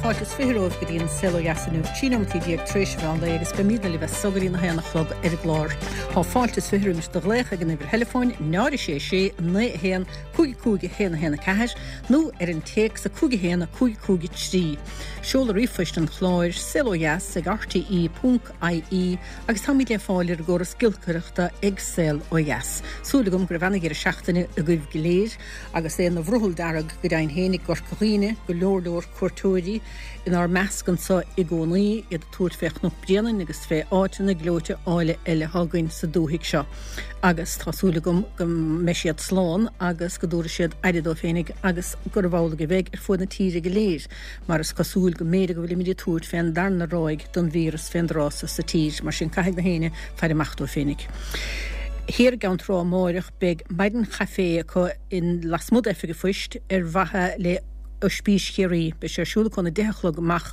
Fáilte is 20 romhaibh go dtí an Saol Ó Dheas inniu, 13 nóimeataí tar éis an mheán lae agus beimidne libh as so go dtí na haon a chlog ar an gclár. Tá fáilte is 20 roimis do ghlaoch ag an uimhir theileafóin 0 6 6 9 1 5 5 1 1 4 nó ar an téacs 5 1 5 5 3. Seoladh ríomhphoist an chláir, saolodheas ag rte ponc ie agus táimid le fáil ar an gcóras giolcaireachta ag Saol Ó Dheas. Súil agam go raibh ana-dheireadh seachtaine agaibh go léir agus é ina bhrothall dearg go deimhin féin i gCorca Dhuibhne, go leor leor cuairteoirí inár measc anso i gcónaí, iad ag tabhairt fé Chnoc Bréanainn agus fé áiteanna gleoite áille eile atá againn sa dúthaigh seo. Agus tá súil agam go mbeidh siad slán agus go dtabharfaidh siad aire dóibh féinig agus gurbh amhlaidh a bheidh ar fuaid na tíre go léir. mar is cosúil go mb'fhéidir go bhfuilimid ag tabhairt fén darna ráig don víreas fén dtráth so sa tír, mar sin caithfidh na héinne faire amach dóibh féinig. Thiar i gCeann Trá amáireach beidh maidin chaifé acu in lasmuigh d'Oifig an Phoist ar mhaithe le Oispís Chiarraí. Beidh sé ar siúl acu óna 10 a chlog amach.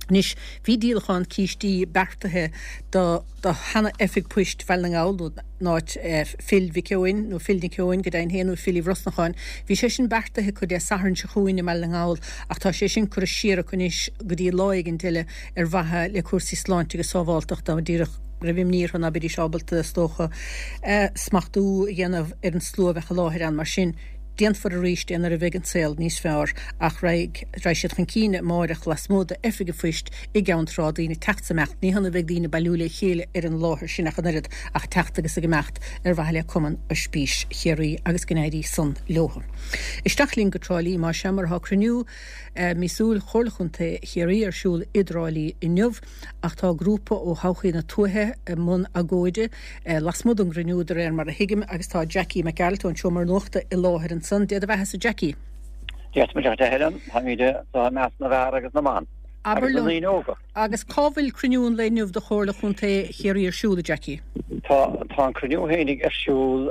Anois bhí díolachán cístí beartaithe do do sheana-oifig poist Bhaile na nGall, nó in áit Phil Mhic Eoin, nó Phil Nic Eoin go deimhin féin, nó Philly Bhrosnacháin. Bhí sé sin beartaithe acu Dé Sathairn seo chugainn i mBaile na nGall ach tá sé sin curtha siar acu anois go dtí lá éigint eile ar mhaithe le cúrsaí sláinte agus sábháltachta, díreach go raibh imní orthu ná beidís ábalta, is dócha, smachtú a dhéanamh ar an slua a bheadh i láthair ann. Mar sin. Déanfar arís é nuair a bheidh an saol níos fearr ach raghaidh siad chun cinn amáireach lasmuigh d'Oifig an Phoist i gCeann Trá, daoine ag teacht 's ag imeacht. Ní hionadh a bheidh daoine ag bailiú le chéile ar an láthair sin ach an oiread ach ag teacht agus ag imeacht ar mhaithe le Cumann Oispís Chiarraí agus go n-éirí san leothu. Isteach linn go Trá Lí más ea mar tá cruinniú míosúil Chomhairle Chontae Chiarraí ar siúl i dTrá Lí inniu. Ach tá grúpa ó Thodhchaí na Tuaithe i mbun agóide lasmuigh den gcruinniú, de réir mar a thuigim, agus tá Jackie Mac Gearailt ón Seomra Nuachta i láthair ansan. Dé do bheathasa, Jackie. Dia duit, a Helen. Táimid anseo i measc na bhfear agus na mban. Abair Agus na liom, ndaoine óga. agus cá bhfuil cruinniú an lae inniu de Chomhairle Chontae Chiarraí ar siúl, a Jackie? Tá, tá an cruinniú fhéinig ar siúl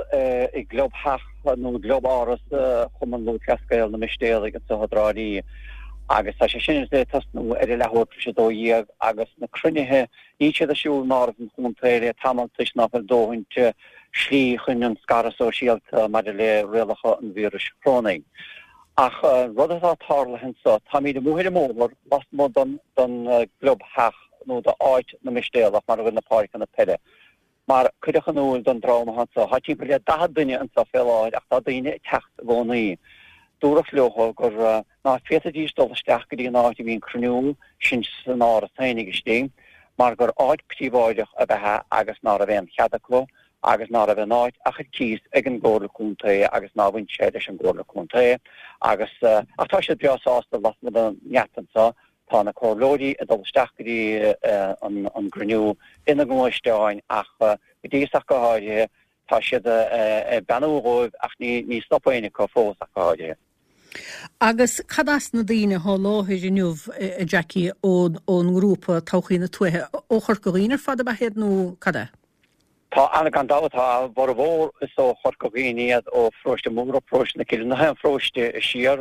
i gclubtheach nó i gclub-áras Chumann Lúthchleas Gael na Mistéalaigh anseo i dTrá Lí. Agus tá sé sin le tosnú ar a leathuair tar éis 12 agus na cruinnithe, níl siad ar siúl in Áras an Chontae le tamall toisc ná fuil dóthaint slí chun an scaradh sóisialta maidir le rialacha an víris chorónaigh. Ach an rud atá tarlaithe anso, táimid amuigh ar an mbóthar lasmuigh den gclubtheach nó d'áit na Mistéalach mar a bhfuil na páirceanna peile. Mar cuireadh in iúl don dream atá anso, tá timpeall le 40 duine anso fé láthair ach tá daoine ag teacht i gcónaí. Dúradh leo gur ná féadfaidís dul isteach go dtí an áit a bhí an cruinniú, sin san áras féinig istigh, mar gur áit príobháideach ab ea agus ná raibh aon chead acu agus ná raibh an áit ach ar cíos ag an gComhairle Contae agus ná bhain sé leis an gComhairle Contae agus ach tá siad breá sásta lasmuigh den ngeata anso Tá na comhairleoirí ag dul isteach go dtí an gcruinniú ina ngluaisteáin ach go dtí is ach go háirithe tá siad ag beannú dhóibh ach ní stop éinne acu fós ach go háirithe. Agus cad as na daoine atá i láthair inniu, a Jackie, ón ngrúpa Todhchaí na Tuaithe? Ó Chorca Dhuibhne ar fad ab ea iad nó cad é? Tá ana gan dabht, tá a bhformhór is ó Chorca Dhuibhne iad, ó Pharóiste Móra, Paróiste na Cille, na haon pharóiste siar,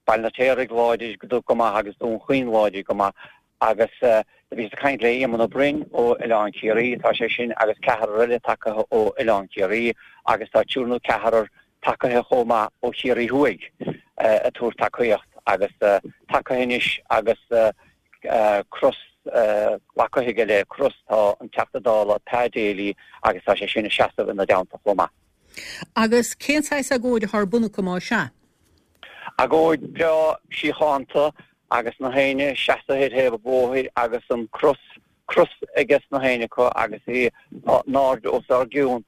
Baile an Fheirtéaraigh láidir go maith agus Dún Chaoin láidir go maith agus do bhíos ag caint le Éamonn Ó Broin ó Oileán Ciarraí, tá sé sin agus ceathrar eile tagaithe ó Oileán Ciarraí agus tá triúr nó ceathrar tagaithe chomh maith ó Chiarraí Thuaidh ag tabhairt tacaíocht agus tagaithe anois agus cros glactha aige le cros tá an Teachta Dála Pa Daly agus tá sé sin ag seasamh ina dteannta chomh maith. Agus cén saghas agóid atá ar bun acu más ea? Agóid breá síochánta agus na héinne seasaithe ar thaobh an bhóthair agus an cros, cros aige sna héinne acu agus í in airde os ár gcionn,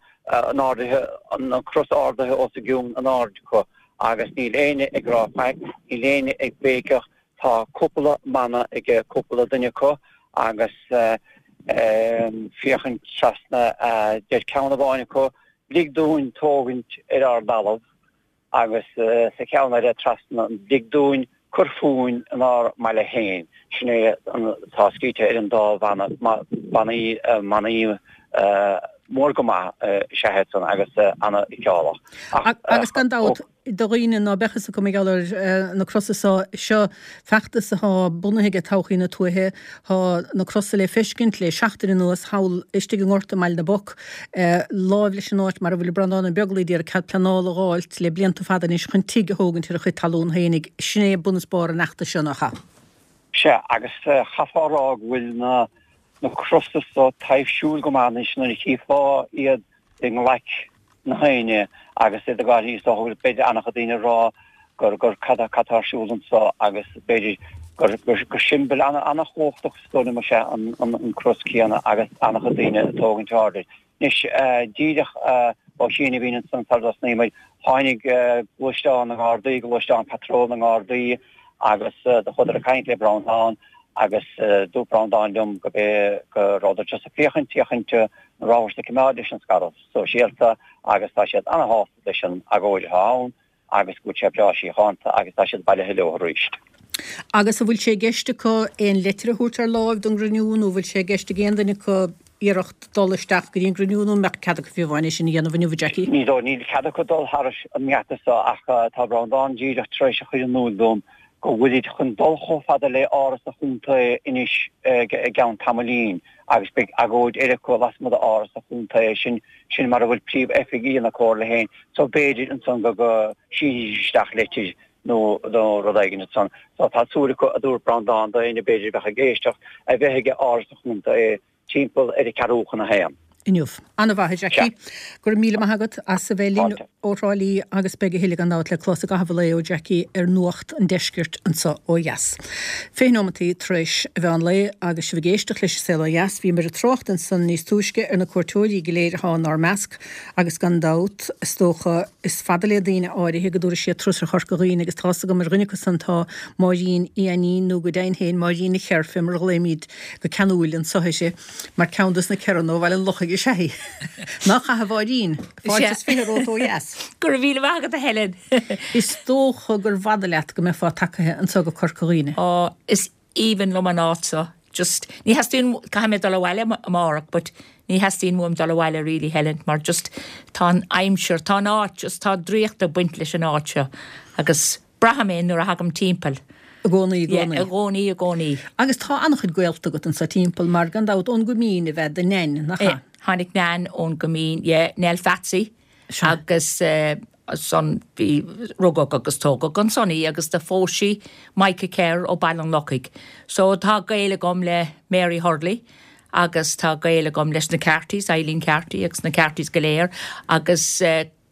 in ardaithe, an cros ardaithe os a gcionn in airde acu agus níl éinne ag rá faic, níl éinne ag béiceach, tá cúpla mana aige cúpla duine acu agus féachaint trasna, deir ceann amháin acu, lig dúinn tógaint ar ár dtalamh. agus sa cheann eile trasna, lig dúinn cur fúinn inár mbaile féin. Sin é atá scríte ar an dá bhanna, bannaí, manaí mór go maith is ea iad san agus ana-fheiceálach. Agus gan dabht, do dhaoine ná beadh fhios acu mar gheall ar na crosa so, seo feachtas atá bunaithe aige Todhchaí na Tuaithe. Tá na crosa le feiscint le seachtain anuas thall istigh i ngort i mBaile na bPoc, láimh leis an áit mar a bhfuil Breandán Ó Beaglaoich d'iarraidh cead pleanála a dh'fháilt le blianta fada anois chun tigh a thógaint ar a chuid talún fhéinig. Sin é bun is barr an fheachtais seo, nach ea? Sea, agus chaithfeá a rá go bhfuil na na crosa so taibhsiúil go maith anois nuair a chífeá iad i nglaic na hAoine agus iad ag gabháil thíos, is dócha go bhfuil b'fhéidir an-chuid daoine ag rá gur gur cad cad tá ar siúl anso agus b'fhéidir gur gur gur siombail ana ana-chumhachtach is dóigh liom is ea an an an cros céanna agus an-chuid daoine ag tógaint aird air. Anois díreach ó chianaibh ansan sara dtosnaíonn muid, tháinig gluaisteán na nGardaí, gluaisteán patról na nGardaí agus do chuadar ag caint le Breandán agus dúirt Breandán liom go bé go rabhadar just ag féachaint, féachaint an rabhthas ag coimeád leis an scaradh sóisialta agus tá siad ana-shásta leis an agóid atá ann. agus go bhfuil sé breá síochánta agus tá siad bailithe leo arís. Agus an bhfuil sé i gceist acu aon leitir a thabhairt ar láimh don gcruinniú nó an bhfuil sé i gceist ag aon duine acu iarracht dul isteach go dtí an gcruinniú nó an mbeadh cead acu fiú amháin é sin a dhéanamh inniu, a Jackie? Ní dóigh, níl cead acu dul thairis an ngeata seo ach tá Breandán díreach tar éis a chur in iúl dom go bhfuilid chun dul chomh fada le Áras an Chontae anois i gceann tamaillín agus beidh agóid eile acu lasmuigh d'Áras an Chontae, sin sin mar a bhfuil príomh-oifigí na Comhairle féin, so b'fhéidir ansan go go sínfidís isteach leitir nó nó rud éigin ansan. So tá súil acu, a dúirt Breandán, d'éinne b'fhéidir a bheadh ag éisteacht, a bheith ag Áras an Chontae timpeall ar a ceathrú chun a haon. inniu. An-mhaith, a Jackie. Go raibh míle maith agat as a bheith linn ó Thrá Lí agus beidh a thuilleadh gan dabht le clos i gcaitheamh an lae ó Jackie ar Nuacht an Deiscirt anseo ó dheas. 20 nóimeataí tar éis a mheán lae agus sibh ag éisteacht leis an Saol Ó Dheas. Bhíomar ag trácht ansan níos túisce ar na cuairteoirí go léir atá inár measc agus gan dabht, is dócha, is fada le daoine áirithe go dtabharfaidh siad turas ar Chorca Dhuibhne agus tá's agam ar dhuine acu san tá Máirín Uí Ainnín nó go deimhin féin Máirín a Cher fé mar a ghlaoimid go ceanúil anso uirthi. Mar ceann dos na Kerranna ó Bhaile an Lochaigh is ea í. Nach ea a Mháirín? Fáilte is fiche romhat ó dheas. Go raibh míle maith agat a Helen. Is dócha gur bhfada leat go mbeifeá tagaithe anso go Corca Dhuibhne. Á, is aoibhinn liom an áit seo. Just, ní theastaíonn, caithfidh mé dul abhaile amárach but ní theastaíonn uaim dul abhaile really Helen mar just tá an aimsir, tá an áit, just tá draíocht ag baint leis an áit seo agus Braithim é nuair a thagaim timpeall. I gcónaí, i gcónaí. Yeah, i gcónaí, i gcónaí. Agus tá an-chuid gaolta agat anso timpeall mar, gan dabht, ón gCoimín ab ea do Neain, nach ea? Tháinig Neain ón gCoimín, yeah, Nell Pheatsaí. Sea. Agus ansan bhí, rugadh agus tógadh ansan í agus do phós sí Micah Kerr ó Baile an Lochaigh. So tá gaol agam le Mary Hurley agus tá gaol agam leis na Cartys, Eileen Carty agus na Cartys go léir agus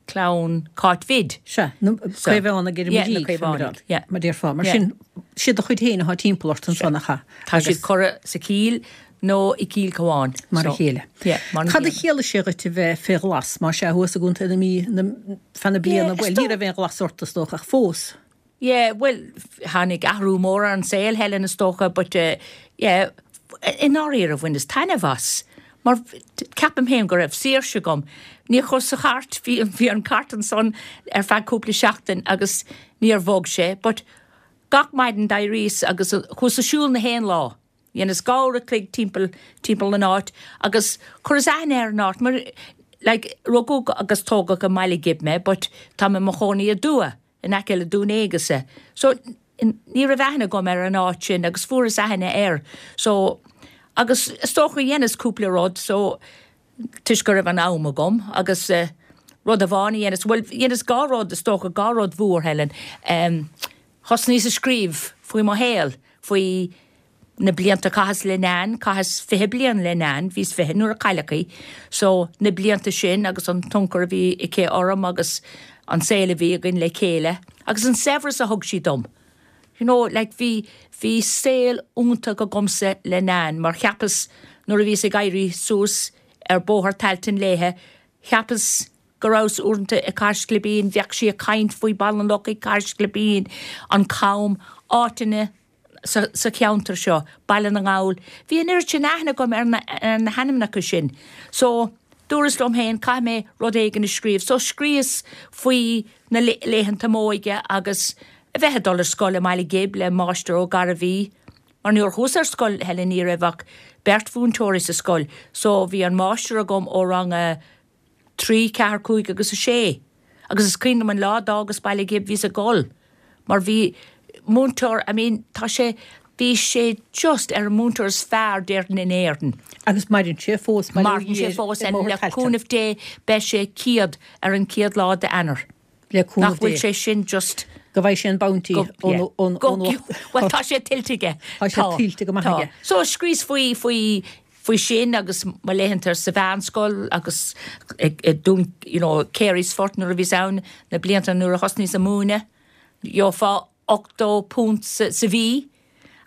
clann Cáit Bhid. Sea, na Caomhánaigh ar an Mhuirígh, yeah, mar déarfá. Mar sin, siad do chuid féin atá timpeall ort ansan, nach ea? Tá siad curtha sa Chill nó i gCill Cabháin. Mar a chéile. Cad a chiallaigh sé dhuit a bheith fé ghlas, más ea, thuas i gContae na Mí feadh na bliana? Bhuel, ní raibh aon ghlas ort, is dócha, ach fós. Yeah, bhuel, tháinig athrú mór ar an saol, Helen, is dócha, but yeah, i ndáiríre bhaineas taitneamh as, mar ceapaim féin go raibh saoirse agam. Níor chuas sa chairt, bhí, bhí an cairt ansan ar feadh cúpla seachtain agus níor bhog sé, but gach maidin d'éiríos agus chuas ag siúl na haon lá. Dheineas dhá uair a chloig timpeall, timpeall an áit agus chuireas aithne ar an áit mar, like, rugadh agus tógadh i mBaile Ghib mé but tá mé i mo chónaí i dTuath. in aice le Dún Aonghasa. So, ní raibh aithne agam ar an áit sin agus fuaireas aithne air. So, agus is dócha dheineas cúpla rud, so, toisc go raibh an am agam agus eh, rud amháin a dheineas, bhuel, dheineas dhá rud, is dócha, dhá rud mhór, Helen. Em, thosnaíos ag scríobh faoi mo shaol, faoi na blianta a chaitheas le Nan, chaitheas 20 bliain le Nan, bhíos 20 nuair a cailleadh í, so na blianta sin agus an tionchar a bhí aici orm agus an saol a bhí againn le chéile agus an saibhreas a thug sí dom. You know, like bhí, bhí saol iontach agamsa le Nan mar cheapas nuair a bhíos ag éirí suas ar Bóthar Tailteann léithe, cheapas go rabhas uaireanta i Cathair Sclibín, bheadh sí ag caint faoi Baile an Lochaigh, Cathair Sclibín, an Cam, áiteanna, sa cheantar seo, Baile na nGall. Bhí an oiread sin aithne agam ar na hainmneacha sin. So, dúras liom féin, caithfidh mé rud éigin a scríobh. So, scríos faoi na laethanta m'óige agus a bheith ag dul ar scoil i mBaile Ghib le Máistir Ó Gairbhí. Mar nuair a chuas ar scoil, Helen, ní raibh ach beirt mhúinteoirí sa scoil. So, bhí an máistir agam ó rang a 3, 4, 5 agus 6. Agus is cuimhin liom an lá a d'fhágas Baile Ghib bhíos ag gol mar bhí múinteoir, I mean tá sé, bhí sé just ar an múinteoir is fearr déarfainn in Éirinn. Agus maireann sé fós, bail ó Dhia air, Maireann sé fós and le cúnamh Dé beidh sé 100 ar an chéad lá d'Eanáir. Le cúnamh Nach bhfuil Dé. sé sin just. Go bhfaighidh sé an bounty ón uachtar. Bhuel, tá sé tuillte aige. Tá sé tuillte go maith aige. So scríos faoi, faoi, faoi sin agus mo laethanta sa mheánscoil agus i Dún, you know, Carysfort nuair a bhíos ann, na blianta nuair a thosnaíos ag múineadh, gheofá £80 sa mhí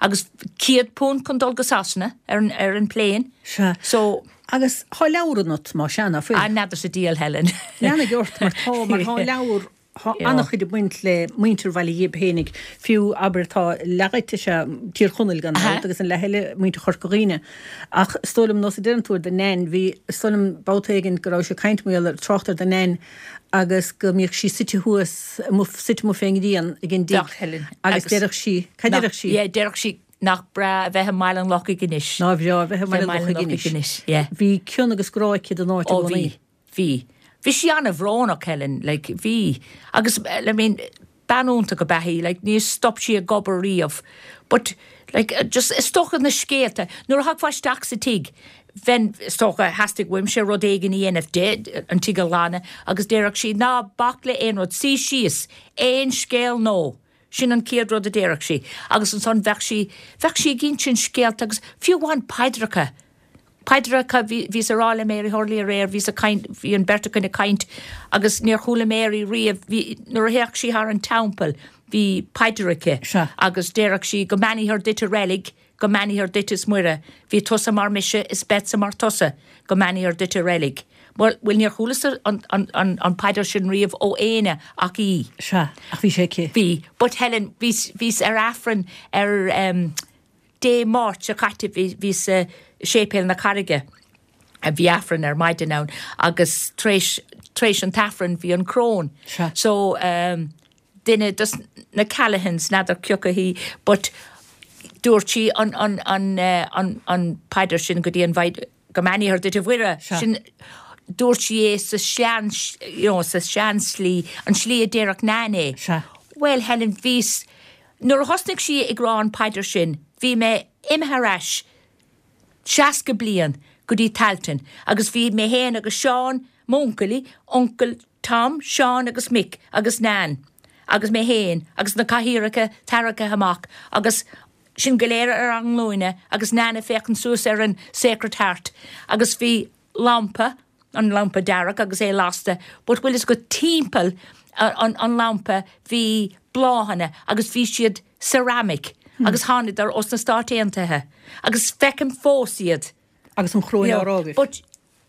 agus £100 chun dul go Sasana ar an, ar an plane. Sea. So. Agus thá leabhar ionat, más ea, ná fuil? Ah, n'fheadar sa diabhal, Helen. Leanaigh ort, mar tá, mar thá leabhar, thá an-chuid ag baint le muintir Bhaile Ghib fhéinig, fiú, abair, tá leath dhuit, is ea, Tír Chonaill gan dabht, agus an leath eile, muintir Chorca Dhuibhne. Ach is dóigh liom, nós a deireann tú ar do Nain, bhí, is dóigh liom, babhta éigin go rabhais ag caint mar gheall ar, trácht ar do Nain, agus go mbíodh sí suite thuas, amuigh, suite amuigh fén ngrian ag an dtigh agus déarfadh sí, cad déarfadh sí? Yeah, déarfadh sí nach breá a bheith i mBaile an Lochaigh anois. Nár bhreá a bheith i mBaile an Lochaigh anois. Yeah. Bhí cion agus grá aici don áit i gcónaí. Ó bhí, bhí. Bhí sí an-bhrónach, Helen, like, bhí. Agus, I mean, Bean iontach ab ea í, like, níor stop sí ag obair riamh. But, like, just, is dócha na scéalta, nuair a thagfá isteach sa tigh, bheinn, is dócha, theastaigh uaimse rud éigin a dhéanamh di, an tigh a ghlanadh, agus déarfadh sí, ná bac le aon rud, suigh síos, aon scéal nó, sin an chéad rud a déarfadh sí. Agus ansan bheadh sí, bheadh sí ag insint scéalta agus fiú amháin paidreacha, Paidreacha, bhíos ag rá le Mary Hurley aréir, bhíos ag caint, bhí an bheirt againn ag caint agus níor chuala Mary riamh, bhí, nuair a théadh sí thar an teampall bhí paidir aici Sea. agus déarfadh sí go mbeannaíthear duit a reilig, go mbeannaíthear duit is Muire, bhí tusa mar mise is beadsa mar tusa, go mbeannaíthear duit a reilig. Bhuel, bhuel níor chualas-sa an, an, an, an paidir sin riamh ó éinne ach í. Sea, ach bhí sé aici. Bhí, but Helen, bhíos, bhíos ar Aifreann ar em, Dé Máirt seo caite bhíos i Séipéal na Carraige, bhí Aifreann ar maidin ann agus tar éis, tar éis an t-Aifreann bhí an crón. Sea. So duine dos na Callaghans, n'fheadar cioca hí, but dúirt sí an, an, an, an, an paidir sin go dtí an Mhaighdean, go mbeannaíthear duit a Mhuire, Sea. sin, dúirt sí é sa sean, you know, sa sean-slí, an slí a déarfadh Nain é. Sea. Bhuel, Helen, bhíos, Nuair a thosnaigh sí ag rá an paidir sin bhí mé imithe ar ais 60 bliain go dtí Tailteann agus bhí mé féin agus Seán, m'uncailí, uncail Tom, Seán agus Mick agus Nan agus mé féin agus na cathaoireacha tarraingthe amach agus sinn go léir ar ár nglúine agus Nan ag féachaint suas ar an Sacred Heart agus bhí lampa, an lampa dearg agus é lasta, but bhfuil fhios agat timpeall an an lampa bhí bláthanna agus bhí siad ceramic agus thánadar ós na Stáit Aontaithe agus feicim fós iad. Agus an choróin á rá agaibh. But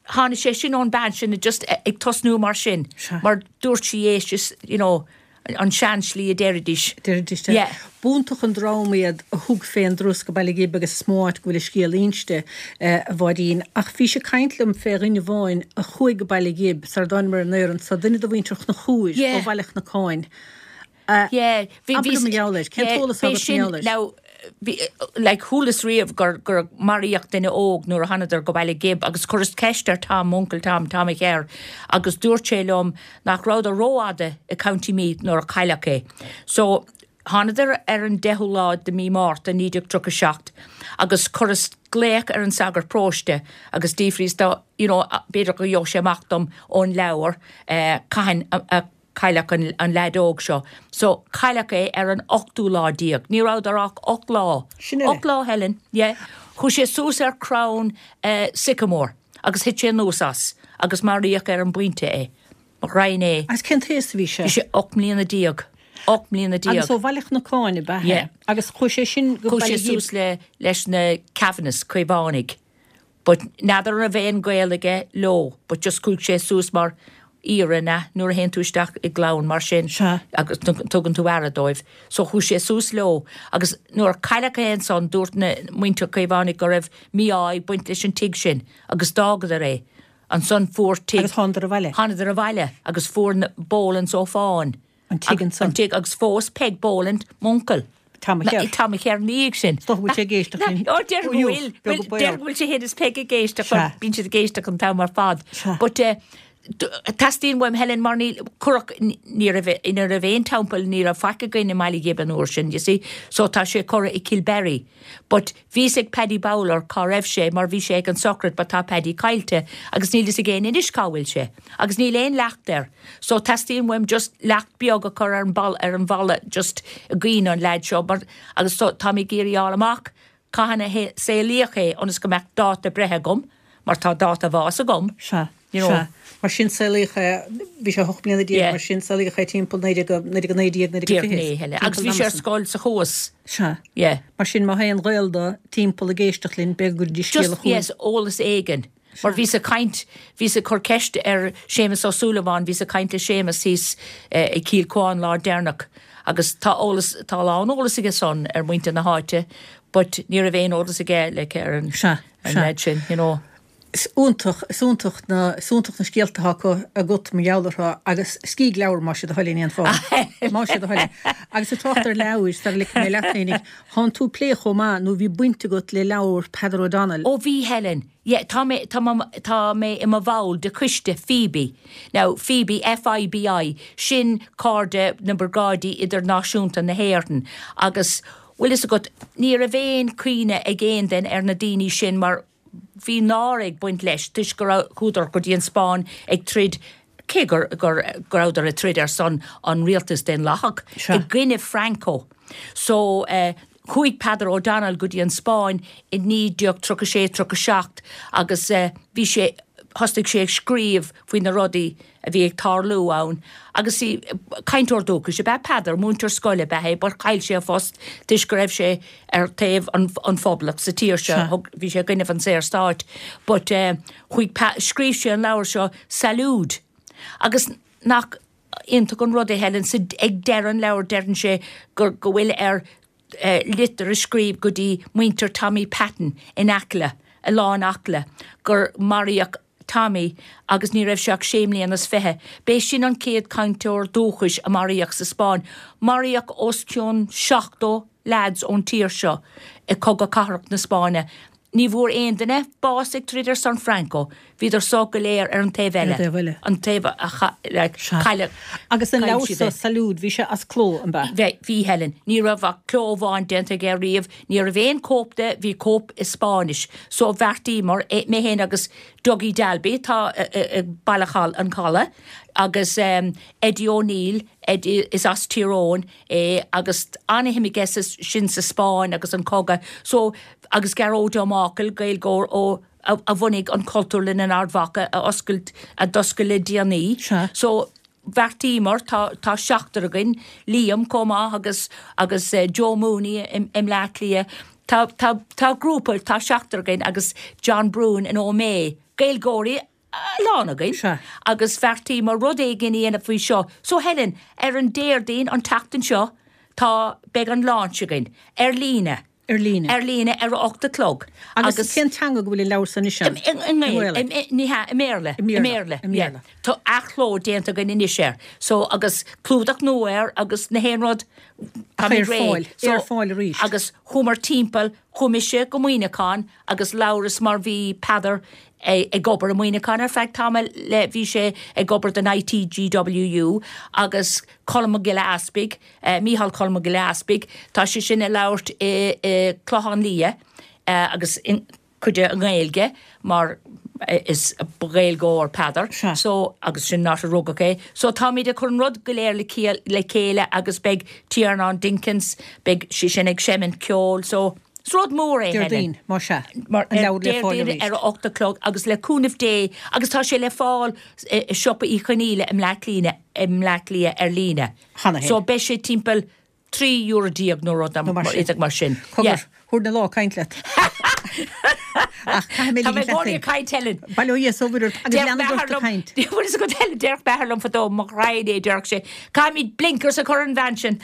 tháinig sé sin ón bean sin just ag tosnú mar sin mar dúirt sí é just you know an sean-slí a deiridís. Deiridís, yeah. Yeah. B'iontach an dream iad a thug fén dturas go Baile Ghib agus is mó áit go bhfuil a scéal inste, a Mháirín. Ach bhís ag caint liom fé dhuine amháin a chuaigh go Baile Ghib sar a dtáinmear ar an aer anso, duine de mhuintir Chonchúir Yeah. ó Bhaile Chnocáin. Yeah. Bhí, Abair bhí, liom mar gheall air. Cén yeah, t-eolas atá b'é agat mar sin, gheall air? now, bhí, like, chualas riamh gur, gur maraíodh duine óg nuair a thánadar go Baile Ghib agus chuireas ceist ar Tom, m'uncail Tom, Tom a' Chearr, agus dúirt sé liom nach rabhadar rófhada i County Meath nuair a cailleadh é. So, thánadar ar an deichiú lá de mí Márta 1937 agus chuireas glaoch ar an sagart paróiste agus d'fhiafraíos de, you know, b'fhéidir go gheobhadh sé amach dom ón leabhar eh, cathain a, a cailleadh an, an leaid óg seo. So, cailleadh é ar an ochtú lá déag. Ní rabhadar ach 8 lá. Sin uile. 8 lá, Helen, yeah. Chuaigh sé suas ar crann eh, sycamore. Agus thit sé anuas as, agus maraíodh ar an bpointe é. Mo ghraidhin é. Agus cén t-aos a bhí sé? Bhí sé 18 mbliana. 18 mbliana. Agus ó Bhaile Chnocáin ab ea é? Yeah. Agus chuaigh sé sin go Chuaigh Baile sé Ghib. suas le, leis na Kavanaghs, Caomhánaigh. But n'fheadar an raibh aon gaol aige leo, but just chuaigh sé suas mar aoire, na, nuair a théann tú isteach i gclann mar sin Sea. agus tugann tú aire dóibh. So chuaigh sé suas leo agus nuair a cailleadh é ansan dúirt na muintir Caomhánaigh go raibh mí-ádh ag baint leis an tigh sin agus d'fhágadar é. Ansan fuair tigh. Agus thánadar abhaile. Thánadar abhaile agus fuair na Bolands ó Fáin. An tigh ansan. An tigh agus phós Peig Boland m'uncail. Tom a Chearr. Tom a Chearr ina dhiaidh sin. Is dócha go bhfuil sé ag éisteacht linn. Ó déarfainn go bhfuil. Beag Déarfainn go bhfuil sé féin is Peig ag éisteacht. Sea. Bíonn siad ag éisteacht an t-am ar fad. Sea. But eh. Teastaíonn uaim Helen mar níl, cuireadh, ní raibh, ní raibh aon teampall, ní raibh faic againn i mBaile Ghib an uair sin, you see, so tá sé curtha i Kilberry. But bhí fhios ag Paddy Bowler cá raibh sé mar bhí sé ag an sochraid but tá Paddy caillte agus níl fhios ag éinne anois cá bhfuil sé. Agus níl aon leacht air. So teastaíonn uaim just leacht beag a chur ar an ball, ar an bhalla just i gcuimhne an leaid seo mar, agus so táim ag iarraidh fháil amach cathain a saolaíodh é ionas go mbeadh dáta breithe agam, mar tá dáta bháis agam. Sea, you know. Sea. Mar sin saolaíodh é, bhí sé 18 mbliana, Yeah. mar sin saolaíodh é timpeall 1919, 1920. Díreach é, Helen. Agus bhí sé ar scoil sa Chuas. Sea. Yeah. Mar sin má tá aon ghaol dó timpeall ag éisteacht linn, b'fhéidir go gcuirfidís scéala chugainn. Just, yes, eolas éigin. Mar bhíos ag caint, bhíos ag cur ceist ar Séamus Ó Súilleabháin, bhíos ag caint le Séamus thíos i Cill Cuáin lá deireanach agus tá eolas, tá a lán eolas aige san ar muintir na háite but ní raibh aon eolas aige like ar an leaid sin, you know. Is iontach, is iontach na, is iontach na scéalta atá acu agat mar gheall orthu agus scíg leabhar más é do thoil é in aon fáth. Más é do thoil é. Agus ag trácht ar leabhair, sara ligfidh mé leat féinig, thánn tú ag plé chomh maith nó bhí baint agat le leabhar Peadar O'Donnell. Ó bhí, Helen. Yeah, tá mé, tá mé, tá mé i mo bhall de choiste FIBI. Now, FIBI, F-I-B-I, sin Cairde na mBriogáidí Idirnáisiúnta na hÉireann agus, bhfuil fhios agat, ní raibh aon chuimhne ag aon duine ar na daoine sin mar bhí náire ag baint leis toisc go raibh, chuadar go dtí an Spáinn ag troid, cé gur, gur, go rabhadar ag troid ar son an rialtas daonlathach i gcoinne Franco. So, eh, Chuaigh Peadar O'Donnell go dtí an Spáinn i 1936, 37 agus bhí sé, thosnaigh sé ag scríobh faoi na rudaí a bhí ag tarlú ann agus cainteoir dúchais ab ea Peadar, múinteoir scoile ab ea é but chaill sé a phost toisc go raibh sé ar taobh an phoblacht sa tír seo, thug, bhí sé i gcoinnibh an Saorstáit but chuaigh, scríobh sé an leabhar seo Salud agus nach iontach an rud é Helen, sa, ag deireadh an leabhair deireann sé gur, go bhfuil air litir a scríobh go dtí muintir Tommy Patton in Acla, Oileán Acla, gur maraíodh Tommy agus ní raibh sé ach sé mbliana is fiche. B'é sin an chéad cainteoir dúchais a maraíodh sa Spáinn. Maraíodh os cionn 70 leaids ón tír seo i Cogadh Cathartha na Spáinne. Ní bhfuair aon duine bás ag troid ar son Franco. Bhíodar so go léir ar an taobh eile. Ar an taobh eile. An taobh a cailleadh. Agus an leabhar so, Salud, bhí sé as cló, an b'ea? Bhí, bhí Helen. Ní raibh ach cló amháin déanta aige riamh. Ní raibh aon cóip de, bhí cóip i Spáinnis. So bheartaíomar, mé féin agus Dougie Dalby, atá i Baile an Chalaidh, agus Eddie O'Neill, Eddie, is as Tír Eoghain, é agus an-shuim aige sa, sin sa Spáinn agus an cogadh so agus Gearóid Ó Mácail, Gaeilgeoir ó, a, a bhunaigh an Chultúrlann in Ard Mhacha a oscailt, a d'oscail le déanaí. Sea. So bheartaíomar, tá, tá seachtar againn, Liam chomh maith agus, agus Joe Mooney i, i mBleá Cliath, tá, tá, tá grúpa, tá seachtar againn agus John Bruen in Ó Méith, Gaeilgeoirí a lán againn. Sea. Agus bheartaíomar rud éigin a dhéanamh faoi seo. So Helen, ar an Déardaoin, an tseachtain seo, tá, beidh an launch againn. Ar líne. Ar líne. Ar líne ar a 8 a chlog. Agus cén teanga go bhfuil an leabhar san anois ann? I nGaeilge. Ní hea, i mBéarla. I mBéarla. I mBéarla. Tá athchló déanta againn anois air. So, agus clúdach nua air agus na haon rud. Ach é ar fáil. É ar fáil arís. Agus chuamar timpeall, chuaigh mise go Muineachán agus labhras mar bhí Peadar ag obair i Muineachán ar feadh tamaill le, bhí sé ag obair don ITGWU agus Colm Mac Giolla Easpaig, Mícheál Colm Mac Giolla Easpaig, tá sé sin ag labhairt i gClochán Liath agus cuid de i nGaeilge mar is ba Ghaeilgeoir Peadar so agus sin an áit a rugadh é. So táimid ag cur an rud go léir le chéile agus beidh Tiarnán Dinkins, beidh sé sin ag seimint ceoil so Is rud mór é, Helen. Déardaoin, más ea. An leabhar le fáil arís. Ar a 8 a chlog agus le cúnamh Dé agus tá sé le fáil i siopa Uí Chonghaile i mBleá Cliath, i mBleá Cliath ar líne. Cheana féin. So beidh sé timpeall 13 euro nó rud mar sin. Cogar, thabharfainn an lá ag caint leat. Ach caithfidh mé Tá mé i gcónaí ag caint, Helen. Bail ó Dhia is ó Mhuire ort agus leanfaidh ort ag caint. Bhfuil fhios agat Helen, déarfadh m'athair liom fadó, mo ghraidhin é, déarfadh sé, caithfimid blinkers a chur ar an bhean sin.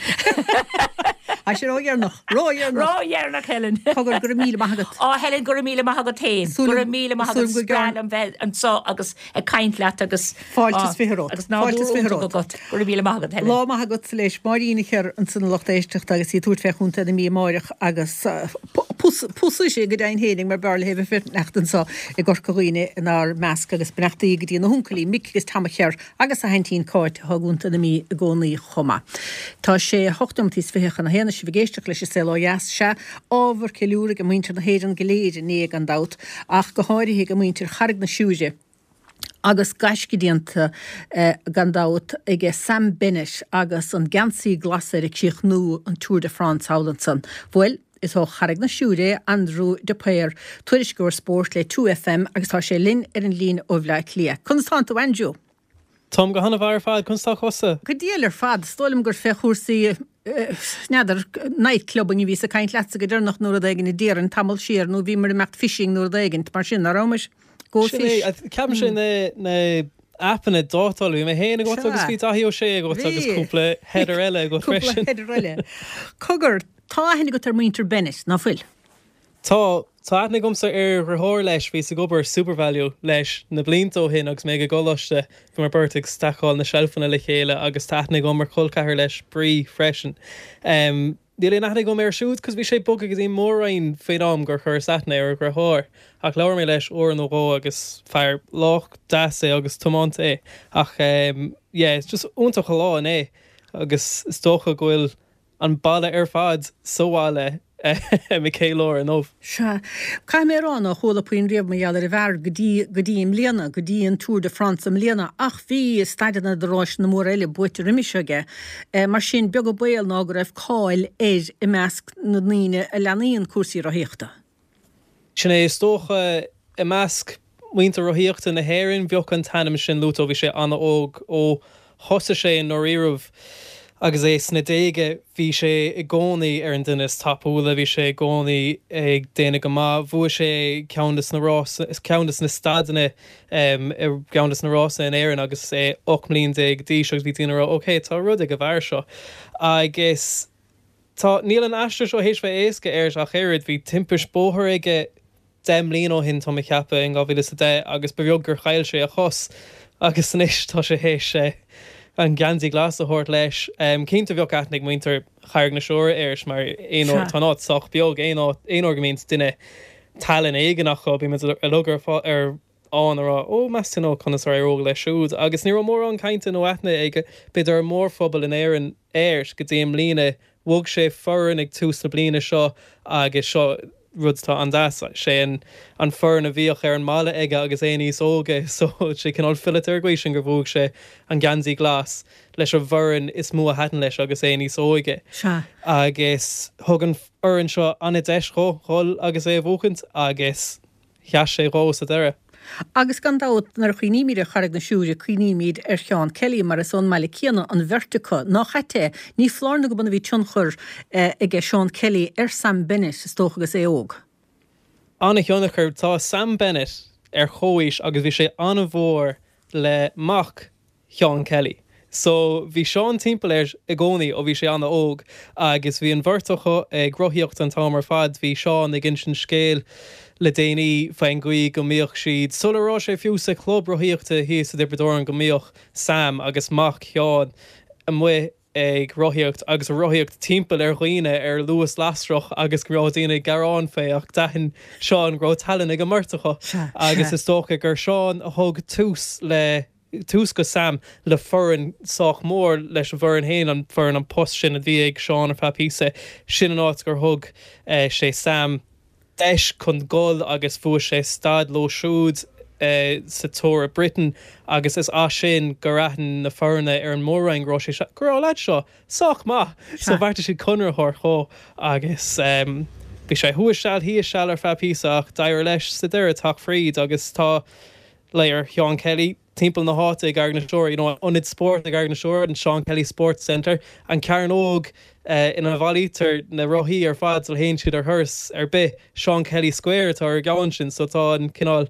Tá sé ródheireanach, ródheireanach. Ródheireanach, Helen. Cogar, go raibh míle maith agat. Á, Helen, go raibh míle maith agat féin. Go raibh míle maith agat. Is breá liom bheith anseo agus ag caint leat agus. Fáilte is fiche romhat. Agus nádúr iontach agat. Go raibh míle maith agat, Helen. Lá maith agat leis Máirín Uí Chearra ansan a lucht éisteachta agus í ag tabhairt fé Chontae na Mí amáireach agus. Pósfaidh sé go deimhin fhéinig mar b'fhearr léi bheith ag fanacht anso i gCorca Dhuibhne inár measc agus beannachtaí go dtí na huncailí Mick agus Tom a Cher agus a haintín Cáit atá i gContae na Mí i gcónaí chomh maith. Tá sé 8 nóimeataí is 20 chun a haon is sibh ag éisteacht leis An Saol Ó Dheas. Sea, ábhar ceiliúraidh ag muintir na hÉireann go léir inné gan dabht ach go háirithe ag muintir Charraig na Siúire agus gaisce déanta gan dabht ag Sam Bennett agus an geansaí glas air ag críochnú an Tour de France thall ansan. Bhuel, Is ó Charraig na Siúire é Aindriú de Paor, tuairisceoir spóirt le 2FM agus tá sé linn ar an líne ó Bhleá Cliath. Conas tánn tú, Aindriú? Táim go hana-mhaith ar fad, conas tá thusa? Go diail ar fad. Is dóigh liom gur fé chúrsaí, n'fheadar, night clubbing a bhíos ag caint leatsa go deireanach nó rud éigin a déarfainn, tamall siar, nó bhíomar ag imeacht fishing nó rud éigint mar sin, ná rabhamar? Go Sin é, fish. ceapaim sé na aipeanna dátála, bhí mé féin agat agus bhí Daithí Ó Sé agat agus cúpla header eile agat freisin. Cúpla header eile. Cogar, tá aithne agat ar mhuintir Bennett, ná fuil? Tá, tá aithne agamsa ar dheartháir leis, bhíos ag obair Supervalu leis na blianta ó shin agus mé ag an gcoláiste, bhíomar beirt ag stacáil na seilfeanna le chéile agus tá aithne agam ar chol ceathar leis, Brí, freisin. Níl aon aithne agam air siúd 'cause bhí sé bogtha go dtí an Mór-Roinn faoin am gur chuireas aithne ar a dheartháir. Ach labhair mé leis uair nó dhó agus fear lách deas é agus tiomanta é. Ach yeah, it's just iontach an lá inné agus is dócha go bhfuil an baile ar fad sa bhaile ag ceiliúradh inniu. Sea. Caithfidh mé a rá nár chuala puinn riamh mar gheall ar an bhfear go dtí, go dtí i mbliana, go dtí an Tour de France i mbliana, ach bhí staideanna de ráiseanna móra eile buaite roimis seo aige. Mar sin, beag an baol ná go raibh cáil air i measc na ndaoine a leanaíonn cúrsaí rothaíochta. Sin é, is dócha, i measc muintir rothaíochta na hÉireann, bheadh an t-ainm sin luaite ó bhí sé an-óg, ó thosaigh sé i ndáiríribh agus é sna déaga, bhí sé i gcónaí ar an duine is tapúla, bhí sé i gcónaí ag déanamh go maith, bhuaigh sé ceann de na rásanna, ceann de na staideanna i gceann de na rásanna in Éirinn agus é 18 mbliain d'aois agus bhí daoine ag rá ok, tá rud ag an bhfear seo. Agus tá, níl an aistear seo théis bheith éasca air ach oiread, bhí timpist bóthair aige 10 mbliana ó shin, tá mé ag ceapadh, in 2010 agus ba bheag gur chaill sé a chos agus anois tá sé théis an geansaí glas a thabhairt leis. Cinnte bheadh aithne ag muintir Charraig na Siúire air mar aon uair, tá an áit sách beag, aon áit, aon uair go mbíonns duine tallann éigin acu, bíonn muid uilig ar ar ann a rá, ó meas tú nó conas ar éirigh leis siúd agus ní raibh mórán cainte nó aithne ag b'fhéidir an mórphobal in Éirinn air go dtí i mbliana. Bhog sé foireann ag tús na bliana seo agus seo rud atá an-deas, sé an an foireann a bhíodh ar an mbaile aige agus é níos óige so sé cineál fileata ar an gcaoi sin gur bhuaigh sé an geansaí glas leis an bhfoireann is mó a thaitin leis agus é níos óige. Sea. Agus thug an fhoireann seo an-deis dhó dhul agus é a bhuachaint agus sheas sé dhó sa deireadh. Agus gan dabht, nuair a chuimhnímid ar Charraig na Siúire, cuimhnímid ar Sheán Kelly, mar is ón mbaile céanna an bheirt acu. Nách ait é? Ní foláir nó go b'ionann a bhí tionchar aige Seán Kelly ar Sam Bennett, is dócha, agus é óg. An-thionchar. Tá Sam Bennett ar chomhaois agus bhí sé an-mhór le mac Sheán Kelly. So bhí Seán timpeall air i gcónaí ó bhí sé an-óg agus bhí an bheirt acu ag rothaíocht an t-am ar fad. Bhí Seán ag insint scéil le déanaí faoin gcaoi go mbíodh siad, sula raibh sé fiú sa chlub rothaíochta thíos i dTiobraid Árann, go mbíodh Sam agus mac Sheáin amuigh ag rothaíocht agus ag rothaíocht timpeall ar dhaoine ar luas lasrach agus go raibh daoine ag gearán fé ach d'aithin Seán go raibh tallann ag an mbeirt acu agus is dócha gur Seán a thug tús le tús go Sam le foireann sách mór leis an bhfoireann féin, an foireann an post sin a bhí ag Seán ar feadh píosa, sin an áit gur thug sé Sam deis chun dul agus bhuaigh sé staid leo siúd sa Tour of Britain agus is as sin gur aithin na foirne ar an Mór-Roinn go raibh sé, go raibh an leaid seo sách maith so bheartaigh siad conradh a thabhairt dhó agus bhí sé thuas seal thíos seal ar feadh píosa ach d'éirigh leis sa deireadh teacht fríd agus tá léir Sheán Kelly timpeall na háite i gCarraig na Siúire, you know, an ionad spóirt i gCarraig na Siúire, an Seán Kelly Sports Centre, an cearnóg ina bhailítear na rothaí ar fad sula théann siad ar thuras ar bith, Seán Kelly Square atá ar an gceann sin, so tá an cineál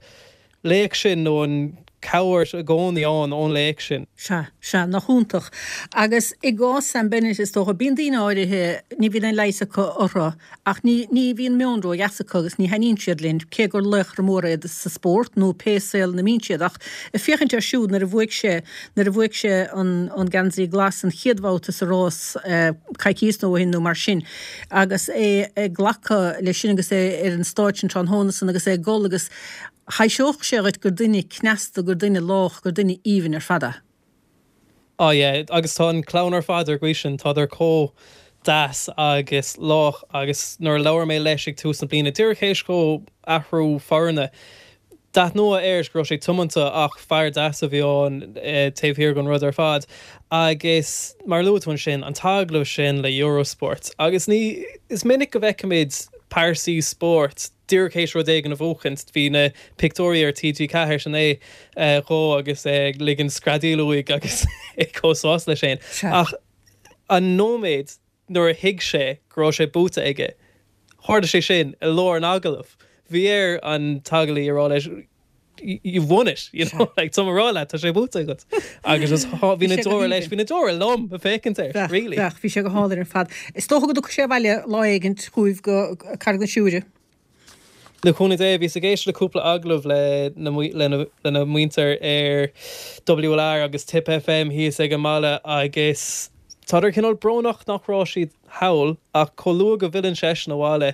laoch sin nó an. cabhair i gcónaí ann ón laoch sin. Sea, sea, nach iontach. Agus i gcás Sam Bennett, is dócha, bíonn daoine áirithe, ní bhíonn aon leigheas acu orthu, ach ní, ní bhíonn meon ródheas acu agus ní thaitníonn siad linn, cé gur laochra móra iad sa spórt nó pé saol ina mbíonn siad. Ach ag féachaint air siúd nuair a bhuaigh sé, nuair a bhuaigh sé an, an geansaí glas an chéad bhabhta sa rás coicíos nó ó shin nó mar sin, agus é ag glacadh leis sin agus é ar an stáitse an tráthnóna san agus é ag gol agus, Thaibhseodh sé dhuit gur duine cneasta, gur duine lách, gur duine aoibhinn ar fad é. Ah yeah, agus tá an clann ar fad ar an gcaoi sin, tádar chomh deas agus lách agus nuair a labhair mé leis ag tús na bliana, díreach théis dhó athrú foirne, d'aithneofá air go raibh sé tiomanta ach fear deas a bhí ann taobh thiar den rud ar fad. Agus mar a luaigh tú ansin, an t-agallamh sin le Eurosport agus ní, is minic go bhfeicimid pearsaí spóirt, díreach théis rud éigin a bhuachaint, bhí na pictiúirí ar TG4 sin é dhó agus é ag ligean screadaíl uaidh agus é chomh sásta leis féin. Ach an nóiméad nuair a thuig sé go raibh sé buaite aige, tharla sé sin i lár an agallaimh. Bhí air an t-agallaí a rá leis, you've won it, you know, like tá mé ag rá leat, tá sé buaite agat. Agus just bhí na deora leis, bhí na deora liom ag féachaint air, really. Bheadh, bhí sé go hálainn ar fad. Is dócha go dtiocfaidh sé abhaile lá éigint chugaibh go Carraig na Siúire. Le cúnamh Dé, bhíos ag éisteacht le cúpla agallamh le lena muintir ar WLR agus Tipp FM thíos ag an mbaile agus tádar cineál brónach nach raibh siad thall ach chomh luath go bhfilleann seisean abhaile,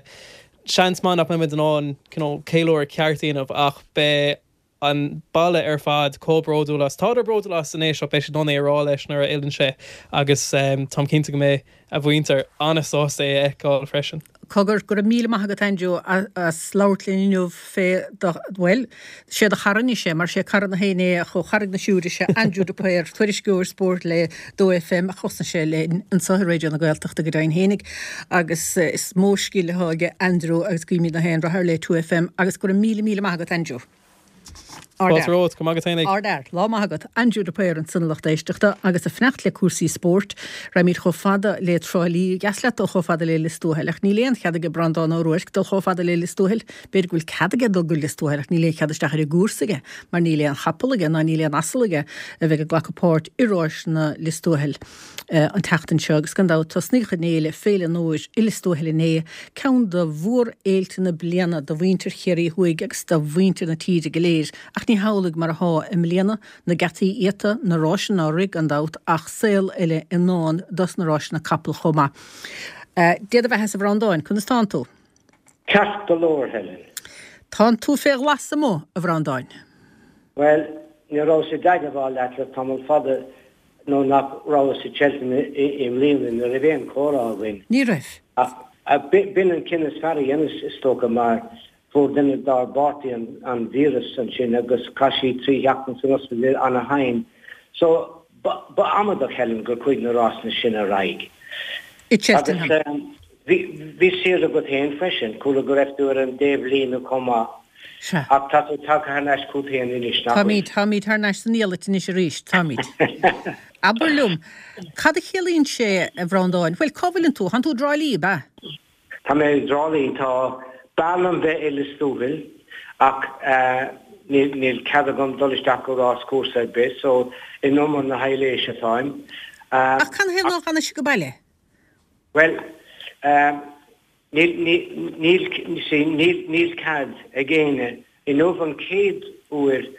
Seans maith nach mbeimid in ann cineál ceiliúradh ceart a dhéanamh ach beidh an baile ar fad chomh bródúil as. Tádar bródúil as anois ach beidh siad in ann é a rá leis nuair a fhilleann sé agus táim cinnte go mbeidh a mhuintir an-sásta é a fheiceáil freisin. Cogar, go raibh míle maith agat Aindriú as labhairt linn inniu fé do, bhuel, sé do chara anois é mar sé cara na haoinne é ach ó Charraig na Siúire sé Aindriú de Paor, tuairisceoir spóirt le 2FM a chosnaigh sé linn anseo i Raidió na Gaeltachta go deimhin fhéinig agus is mó scil atá aige Aindriú agus guímid gach aon rath air le 2FM agus go raibh míle míle maith agat Aindriú. Fáilte romhat, go maith agat fhéinig. Ardfhear. Lá maith agat. Aindriú de Paor ansan a lucht éisteachta agus ag fanacht le cúrsaí spóirt. Raghaimid chomh fada le Trá Lí. Dheas leat dul chomh fada le Lios Tuathail ach níl aon chead aige Breandán Ó Ruairc dul chomh fada le Lios Tuathail. B'fhéidir go bhfuil cead aige dul go Lios Tuathail ach níl aon chead isteach ar an gcúrsa aige mar níl aon chapall aige ná níl aon asal aige a bheidh ag glacadh páirt i ráiseanna Lios Tuathail an tseachtain seo agus gan dabht tosnaíodh an fhéile, Féile an Fhómhair i Lios Tuathail inné, ceann de mhórfhéilte na bliana do mhuintir Chiarraí Thuaidh agus do mhuintir na tíre go léir ach ní hamhlaidh mar athá i mbliana, na geataí iata, na ráiseanna á rith gan dabht ach saol eile i ndán dos na ráiseanna capall chomh maith. Dé do bheatha-sa a Bhreandáin, conas tánn tú? Ceart go leor, Helen. Tánn tú fé ghlas amuigh, a Bhreandáin. Bhuel, ní rabhas i dteagmháil leat le tamall fada nó nach rabhas i Cheltenham i mbliana, ní raibh aon chomhrá againn. Ní raibh. Ach b'in an cinneadh is fearr a dheineas, is dócha, mar fuair duine dár bpáirtí an víreas ansin agus chaith sí 3 sheachtain san ospidéal ana-thinn. So, ba amadach, Helen, gur chuaigh na rásanna sin ar aghaidh. I Cheltenham. Agus bhí saoire agat féin freisin, chuala go raibh tú ar an dtaobhlíne chomh maith. Sea. Ach tá tú tagtha thar n-ais chugat féin anois, nach bhfuil? Táimid, táimid thar n-ais san diallait anois arís, táimid. Abair liom, cad a chiallaíonn sé, a Bhreandáin? Bhuel, cá bhfuileann tú? Tánn tú i dTrá Lí, ab ea? Tá mé i dTrá Lí. Tá, b'fhearr liom bheith i Lios Tuathail ach níl cead agam dul isteach go ráschúrsa ar bith so in umar na haibhléise atáim. Ach canathaobh ná fanfaidh sé go baile? Bhuel, níl, níl, see, níl, níl cead ag éinne Inniu an chéad uair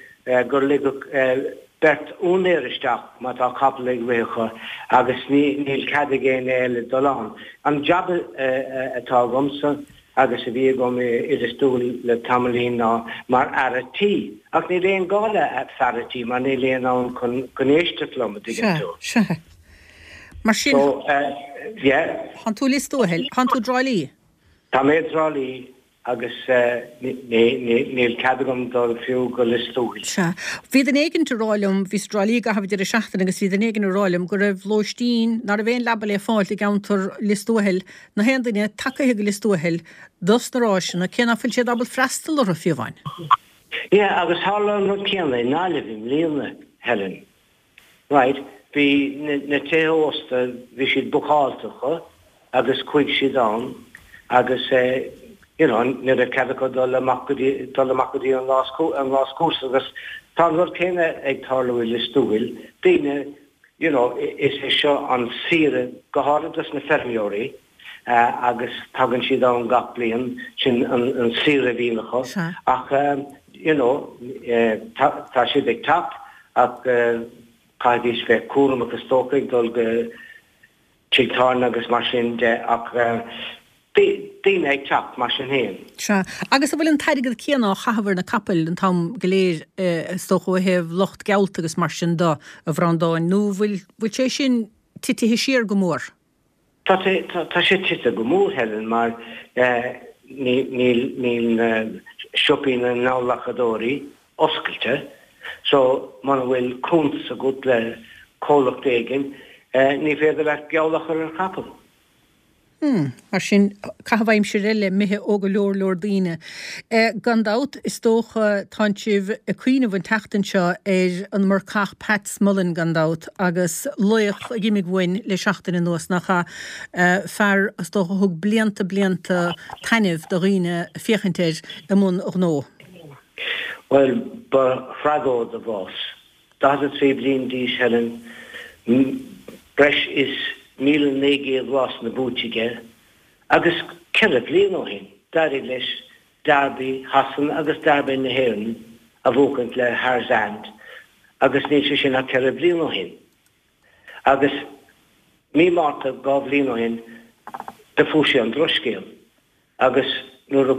gur ligeadh beirt úinéir isteach má tá capall ag rith acu agus níl cead ag éinne eile dul ann. An jab atá agamsa agus a bhí agam i Lios Tuathail le tamaillín ná mar fhear a' tí. Ach níl aon gá le fear a' tí mar níl éinne ann chun éisteacht liom, a dtuigeann tú. Sea, sea. Mar sin, So, yeah. Tánn tú i Lios Tuathail, tánn tú i dTrá Lí? Tá mé i dTrá Lí. Agus níl cead agam dul fiú go Lios Tuathail. Sea. Bhí duine éigint ag rá liom, bhíos i dTrá Lí i gcaitheamh an deireadh seachtaine agus bhí duine éigin ag rá liom go raibh lóistín, ná raibh aon leaba le fáilt i gceantar Lios Tuathail, na haon duine tagaithe go Lios Tuathail dos na ráiseanna, cé ná fuil siad ábalta freastal orthu fiú amháin. Yeah, agus tharla an rud céanna i nGaillimh i mbliana, Helen. Right, bhí na tithe ósta, bhí siad bookáilte acu agus chuaigh siad ann agus you know ní raibh cead acu dul amach go dtí, dul amach go dtí an ráschúrsa agus. Tá an rud céanna ag tarlú i Lios Tuathail, daoine, you know, is é seo an saoire go háirid dos na feirmeoirí agus tagann siad ann gach bliain, sin an saoire a bhíonn acu ach you know tá siad ag teacht ach caithfidís bheith cúramach is dócha ag dul go tigh tábhairne agus mar sin de ach daoine ag teacht mar sin féin. Sea. Agus an bhfuil an t-airgead céanna á chaitheamh ar na capaill an t-am go léir is dócha ó thaobh lucht geallta agus mar sin de, a Bhreandáin, nó bhfuil bhfuil sé sin titithe siar go mór? Tá sé tá sé tite go mór, Helen, mar níl níl na siopaí na ngeallghlacadóirí oscailte so muna bhfuil cuntas agat le comhlacht éigin ní féidir leat geall a chur ar chapall. Hmm, mar sin, caitheamh aimsire eile imithe ó go leor leor daoine. Gan dabht, is dócha, tánn sibh ag cuimhneamh an tseachtain seo ar an mBurcach Pat Smullen, gan dabht, agus laoch a d'imigh uainn le seachtain anuas, nach ea? Fear, is dócha, a thug blianta blianta taitnimh do dhaoine féachaint air i mbun a ghnó. Bhuel, ba thragóid a bhás. 43 bliain d'aois, Helen, breis is 1,900 rásanna buaite aige agus ceithre bliana ó shin d'éirigh leis Derby Shasana agus Derby na hÉireann a bhuachaint le Harzand agus níl sé sin ach ceithre bliana ó shin. Agus mí Márta dhá bhliain ó shin do fuair sé an drochscéal. Agus nuair a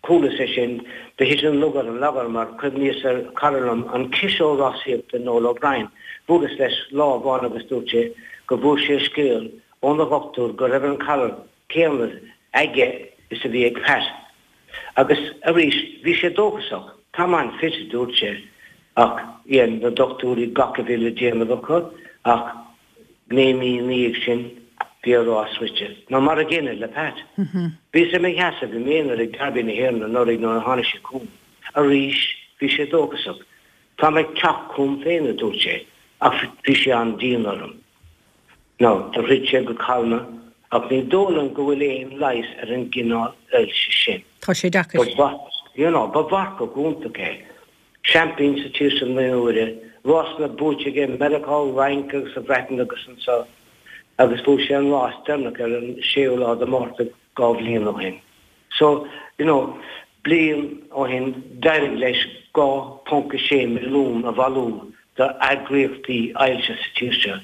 chualas é sin, do thit an lug ar an ladar, mar chuimhníos ar chara liom, an ciseoir rásaíochta Noel O'Brien. Bhuaileas leis lá amháin agus dúirt sé go bhfuair sé scéal óna dhochtúir go raibh an galar céanna aige is a bhí ag Pat. Agus arís, bhí sé dóchasach. Táim an-fit, a dúirt sé, ach dhein na dochtúirí gach a bhí le déanamh acu, ach 9 mí ina dhiaidh sin, bhí a rás rite. Nó mar a gcéanna le Pat. Bhíos i mo sheasamh i m'aonar ag Derby na hÉireann anuraidh nuair a tháinig sé chugam. Arís, bhí sé dóchasach. Táim ag teacht chugam féin, a dúirt sé, ach bhí sé an-dian orm. Now, do throid sé go calma, ach ní dóigh liom go bhfuil aon leigheas ar an gcineál ailse sin. Tá sé deacair. Ba, you know, ba mharcach iontach é. Seaimpín sa tír seo 9 n-uaire, rásanna buaite aige i Meiriceá, Fhrainc agus sa Bhreatain agus anseo agus bhuaigh sé an rás deireanach ar an 6ú lá de Mhárta 2 bhliain ó shin. So, you know, bliain ó shin d'éirigh leis 2.6 milliún a bhailiú do eagraíochtaí ailse sa tír seo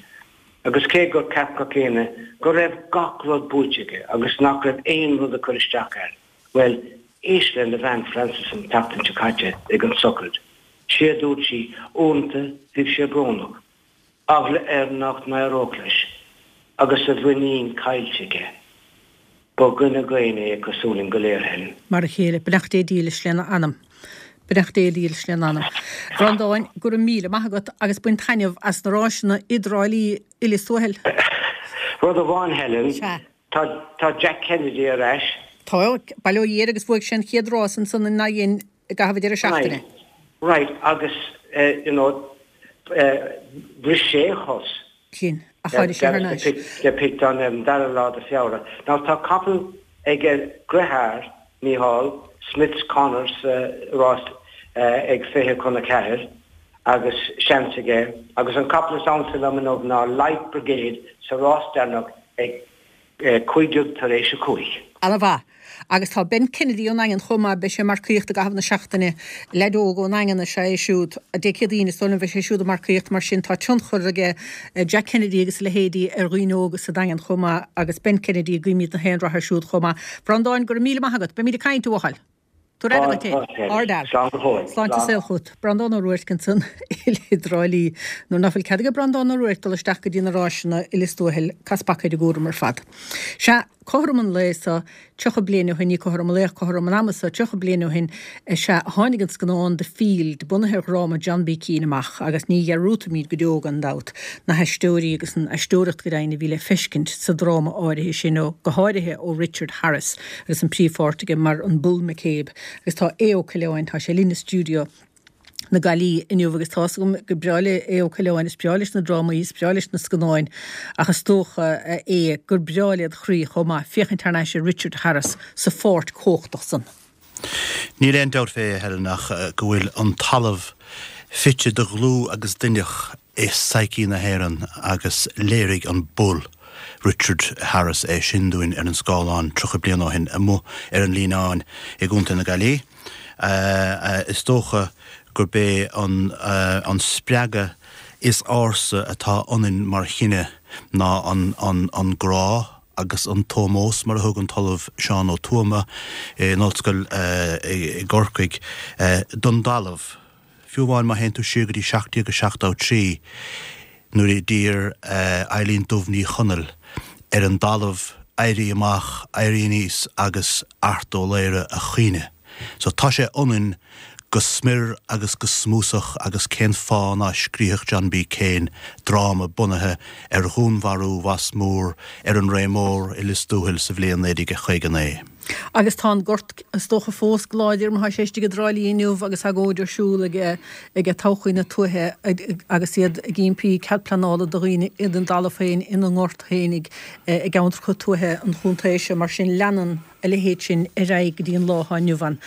agus cé gur cheap gach éinne go raibh gach rud buaite aige agus nach raibh aon rud ag cur isteach air, Bhuel, éist lena bhean Frances an tseachtain seo caite ag an sochraid. Sé a dúirt sí, uaireanta bhíodh sé brónach, eagla air nach n-éireodh leis, agus a mhuinín caillte aige. Ba dhuine daonna é cosúil linn go léir, Helen. Mar a chéile. Beannacht Dé dílis lena anam. Beannacht Dé dílis lena anam. A Bhreandáin, go raibh míle maith agat agus bain taitneamh as na ráiseanna i dTrá Lí i Lios Tuathail. Rud amháin, Helen. Sea. Tá tá Jack Kennedy ar ais. Tá, bail ó Dhia air agus bhuaigh sé an chéad rás ansan i nDaingean i gcaitheamh an deireadh seachtaine. Right, right agus you know bhris sé a chos. Sin, ach tháinig sé thar n-ais. De Picton ar an dara lá de Feabhra. Now tá capall ag a dheartháir, Mícheál, Smith's Corner sa rás ag 20 chun 4 agus seans aige agus an capall is ansa liom inniu ná Light Brigade sa rás deireanach ag 15 tar éis 5. Ana-mhaith. Agus tá Ben Kennedy ón nDaingean chomh maith, beidh sé ag marcaíocht i gcaitheamh na seachtaine. Leaid óg ón nDaingean is ea é siúd. Dé Céadaoin is dóigh liom a bheidh sé siúd ag marcaíocht, mar sin tá tionchar aige Jack Kennedy agus a leithéidí ar dhaoine óga sa Daingean chomh maith agus Ben Kennedy, guímid na haon rath air siúd chomh maith. Breandáin, go raibh míle maith agat. Beimid ag caint, a bhuachaill. Tabhair aire duit féin. Ardfhear. Slán go fóill. Sláinte saoil chugat. Breandán Ó Ruairc ansan i dTrá Lí. Nuair ná fuil cead ag Breandán Ó Ruairc dul isteach go dtí na ráiseanna i Lios Tuathail, cas paca ar an gcúram ar fad. Sea, cothrom an lae so, 30 bliain ó shin, ní cothrom an lae ach cothrom an ama so, 30 bliain ó shin, is ea a tháinig an scannán The Field, bunaithe ar dhráma John B. Keane amach agus ní dhearúdfaimid go deo, gan dabht, na haisteoirí agus an aisteoireacht go deimhin a bhí le feiscint sa dráma áirithe sin, ó, go háirithe ó Richard Harris. agus an príomhpháirt aige mar an Bull McCabe agus tá Aodh Ó Coileáin, tá sé linn i stiúideo na Gaillimhe inniu agus tá's agam gur breá le Aodh Ó Coileáin, is breá leis na drámaí, is breá leis na scannáin ach is dócha, a Aodh, gur breá led chroí chomh maith féachaint thar n-ais ar Richard Harris sa pháirt chumhachtach san. Níl aon dabht fé, a Helen, ach go bhfuil an talamh. Fite de dhlúth agus d'inneach i psyche na hÉireann agus léirigh an Bull, Richard Harris é sin dúinn ar an scáileán 30 bliain ó shin amuigh ar an Líneáin i gContae na Gaillimhe. Is dócha gurb é an spreagadh is ársa atá ionainn mar chine ná an grá agus an t-ómós, mar a thug an tOllamh Seán Ó Tuama in Ollscoil i gCorcaigh, don dtalamh. Fiú amháin má théann tú siar go dtí 1773 nuair a d'iarr Eilín Dubh Ní Chonaill ar an dtalamh éirí amach, éirí aníos agus Art Ó Laoghaire a chaoineadh. So tá sé ionainn go smior agus go smúsach agus cén fáth ná scríofadh John B. Keane dráma bunaithe ar dhúnmharú Mhas Mór ar an Rae Mór i Lios Tuathail sa bhliain 1959. Agus tá an gort is dócha fós go láidir mar tá sé istigh i dTrá Lí inniu agus agóid ar siúl ag ag Todhchaí na Tuaithe agus iad ag impí cead pleanála do dhaoine ina dtalamh féin ina ngort féinig i gceantracha tuaithe an chontae seo. Mar sin leanann a leithéid sin ar aghaidh go dtí an lá atá inniu ann.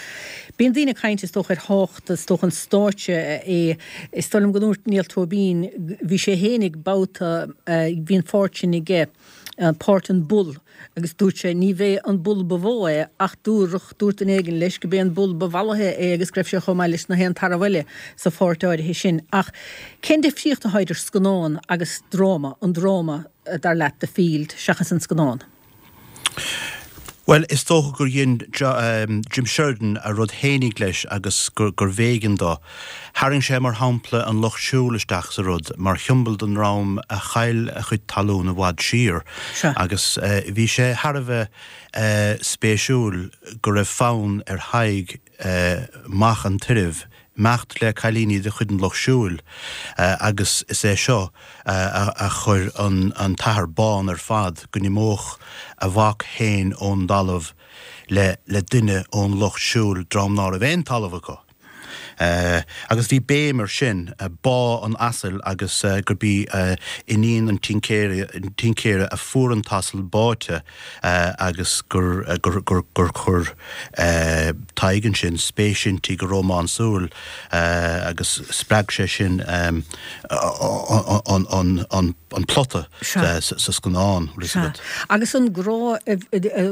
Bíonn daoine ag caint, is dócha, ar thábhacht, is dócha, an stáitse é. Is dóigh liom go ndúirt Niall Tóibín, bhí sé fhéinig babhta, bhí an pháirt sin aige, páirt an Bull, agus dúirt sé, ní bhé an Bull ba mhó é ach dúradh, dúirt duine éigin leis go b'é an Bull ba mhallaithe é agus go raibh sé chomh maith leis na haon tarbh eile sa pháirt áirithe sin. Ach cén difríocht atá idir scannán agus dráma, an dráma, dar leat, The Field, seachas an scannán? Bhuel, is dócha gur dhein Jim Sheridan a rud fhéinig leis agus gurbh éigean dó. Tharraing sé, mar shampla, an lucht siúil isteach sa rud, mar shiombail don ndream a chaill a chuid talún i bhfad siar. Agus bhí sé thar a bheith spéisiúil go raibh fonn ar Thadhg mac an tairbh, imeacht le cailíní de chuid an Lucht Siúil agus is é seo a chuir an t-athair bán ar fad, go n-imeodh a mhac féin ón dtalamh le duine ón Lucht Siúil, dream ná raibh aon talamh acu. Agus bhí béim ar sin, bá an asail agus gurb í iníon an tincéara a fuair an t-asal báite agus gur chuir Tadhg ansin spéis inti go rómánsúil agus spreag sé sin an plota sa scannán. Sea. Agus an grá,